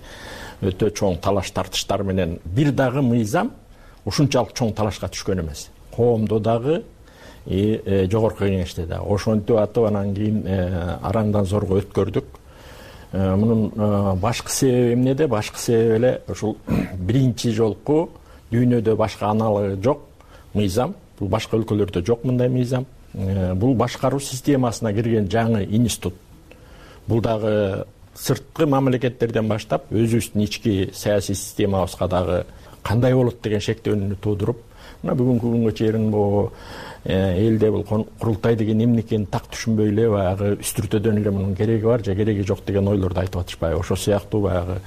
өтө чоң талаш тартыштар менен бир дагы мыйзам ушунчалык чоң талашка түшкөн эмес. Коомдо дагы, жогорку кеңеште дагы. Ошентип атып анан кийин арандан зорго өткөрдүк. Мунун башкы себеби эмнеде? Башкы себеби эле ушул биринчи жолку дүйнөдө башка аналыгы жок мыйзам. Бул башка өлкөлөрдө жок мындай мыйзам. Бул башкаруу системасына кирген жаңы институт. Бул дагы сырткы мамлекеттерден баштап өзүбүздүн ички саясий системабызга дагы кандай болот деген шектөөнү туудуруп, мына бүгүнкү күнгө чейин бул элде бул курултай деген эмне экенин так түшүнбөй эле баягы үстүртөдөн эле мунун кереги бар же кереги жок деген ойлорду айтып атышпайбы. Ошол сыяктуу баягы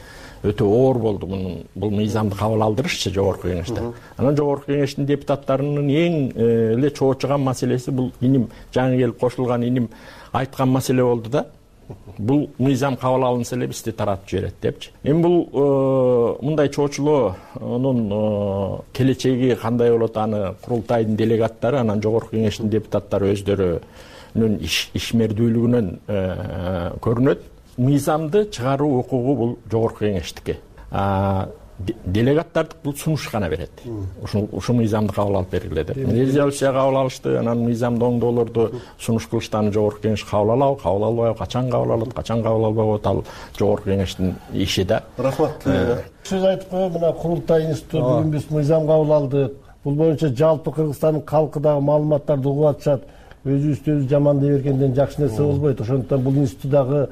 өтө оор болду мунун бул мыйзамды кабыл алдырышчы жогорку кеңеште. Анан жогорку кеңештин депутаттарынын эң эле чоочуган маселеси бул иним жаңы келип кошулган иним айткан маселе болду да. Бул мыйзам кабыл алынса эле бизди таратып жиберет депчи. Эми бул мындай чоочулоонун келечеги кандай болот, аны курултайдын делегаттары, анан жогорку кеңештин депутаттары өздөрүнүн ишмердүүлүгүнөн көрүнөт. Мыйзамды чыгаруу укугу бул жогорку кеңештики. Делегаттар бул сунуш гана берет. Ушул ушул мыйзамды кабыл алып бергиле деп. Резолюция кабыл алышты, анан мыйзамды оңдоолорду сунуш кылышты, аны жогорку кеңеш кабыл алабы, кабыл албайбы, качан кабыл алат, качан кабыл албай коет, ал жогорку кеңештин иши да. Рахмат. Сиз айтып коюп, мына курултай институту бүгүн биз мыйзам кабыл алдык. Бул боюнча жалпы Кыргызстандын калкы дагы маалыматтарды угуп атышат. Өзүбүздү жаман дей бергенден жакшы нерсе болбойт. Ошондуктан бул институт дагы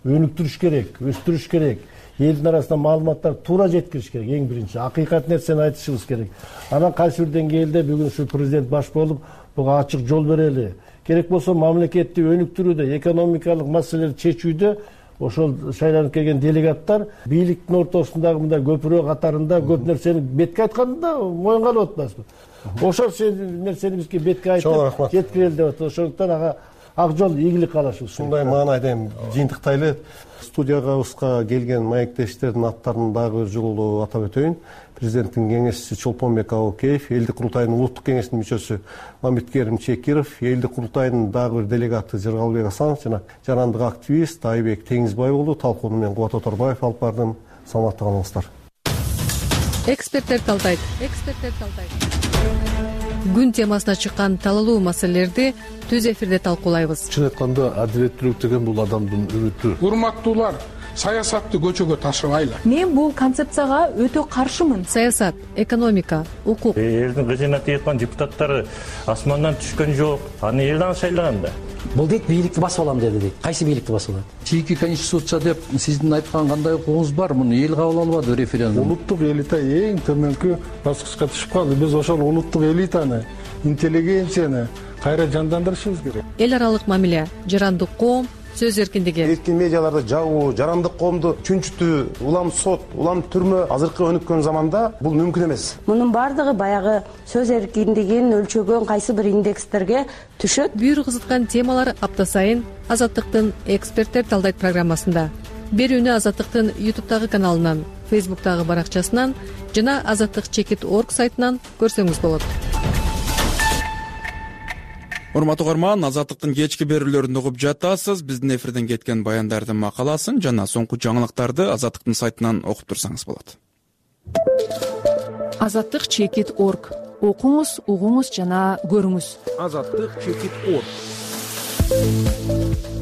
өнүктүрүш керек, өстүрүш керек. Элдин арасына маалыматтар туура жеткириш керек. Эң биринчи акыйкат нерсени айтышыбыз керек. Анан кайсы бир деңгээлде бүгүн ушу президент баш болуп, буга ачык жол берели. Керек болсо мамлекетти өнүктүрүүдө, экономикалык маселелерди чечүүдө ошол шайланып келген делегаттар бийликтин ортосундагы мындай көпүрө катарында көп нерсени бетке айтканда моюнга алып атпайсызбы? Ошол нерсени бизге бетке айтып жеткирели деп атат. Ошондуктан ага ак жол ийгилик каалашыбыз. Ушундай маанайда эми жыйынтыктайлы. Студиябызга келген маектештердин аттарын дагы бир жолу атап өтөйүн. Президенттин кеңешчиси Чолпонбек Абукеев, элдик курултайдын улуттук кеңештин мүчөсү Мамиткерим Чекиров, элдик курултайдын дагы бир делегаты Жыргалбек Асанов жана жарандык активист Айбек Теңизбай болду. Талкууну мен Кубат Оторбаев алып бардым. Саламатта калыңыздар. Эксперттер талдайт. Эксперттер талдайт. Күн темасына чыккан талалуу маселелерди түз эфирде талкуулайбыз. Чын айтканда адилеттүүлүк деген бул адамдын үмүтү. Урматтуулар, саясатты көчөгө ташыбайлы. Мен бул концепцияга өтө каршымын. Саясат, экономика, укук. Элдин кызына тийган депутаттары асмандан түшкөн жок. Аны элден шайлаган да. Бул дейт бийликти басып алам деди дейт. Кайсы бийликти басып алат? Чийки конституция деп сиздин айткан кандай укугуңуз бар? Муну эл кабыл албады референдум. Улуттук элита эң төмөнкү баскычка түшүп калды. Биз ошол улуттук элитаны, интеллигенцияны кайра жандандырышыбыз керек. Эл аралык мамиле, жарандык коом, сөз эркиндиги. Эркин медиаларды жабуу, жарандык коомду чүнчүтүү, улам сот, улам түрмө азыркы өнүккөн заманда бул мүмкүн эмес. Мунун бардыгы баягы сөз эркиндигин өлчөгөн кайсы бир индекстерге түшөт. Бүйүр кызыткан темалар апта сайын Азаттыктын эксперттер талдайт программасында. Берүүнү Азаттыктын ютубтагы каналынан, фейсбуктагы баракчасынан жана азаттык чекит точка орг сайтынан көрсөңүз болот. Урматтуу угарман, Азаттыктын кечки берүүлөрүн угуп жатасыз. Биздин эфирден кеткен баяндардын макаласын жана соңку жаңылыктарды Азаттыктын сайтынан окуп турсаңыз болот. азаттык чекит точка орг. Окуңуз, угуңуз жана көрүңүз. азаттык чекит точка орг.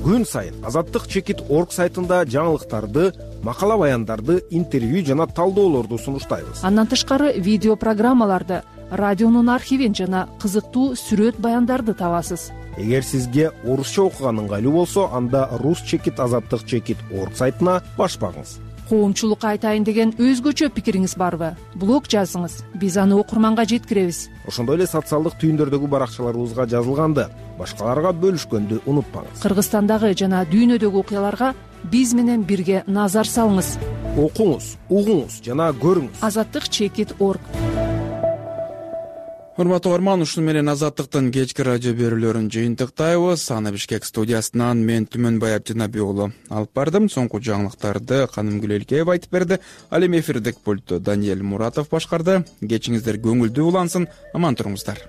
күн сайын азаттык чекит орг сайтында жаңылыктарды, макала баяндарды, интервью жана талдоолорду сунуштайбыз. Андан тышкары видео программаларды, радионун архивин жана кызыктуу сүрөт баяндарды табасыз. Эгер сизге орусча окуган ыңгайлуу болсо, анда рус чекит азаттык чекит орг сайтына баш багыңыз. Коомчулукка айтайын деген өзгөчө пикириңиз барбы? Блог жазыңыз, биз аны окурманга жеткиребиз. Ошондой эле социалдык түйүндөрдөгү баракчаларыбызга жазылганды, башкаларга бөлүшкөндү унутпаңыз. Кыргызстандагы жана дүйнөдөгү окуяларга биз менен бирге назар салыңыз. Окуңуз, угуңуз жана көрүңүз. азаттык чекит орг. Урматтуу угарман, ушуну менен азаттыктын кечки радио берүүлөрүн жыйынтыктайбыз. Аны Бишкек студиясынан мен Түмөнбай Абдинаби уулу алып бардым. Соңку жаңылыктарды Канымгүл Элкеева айтып берди. Ал эми эфирдик пультту Даниэль Муратов башкарды. Кечиңиздер көңүлдүү улансын, аман туруңуздар.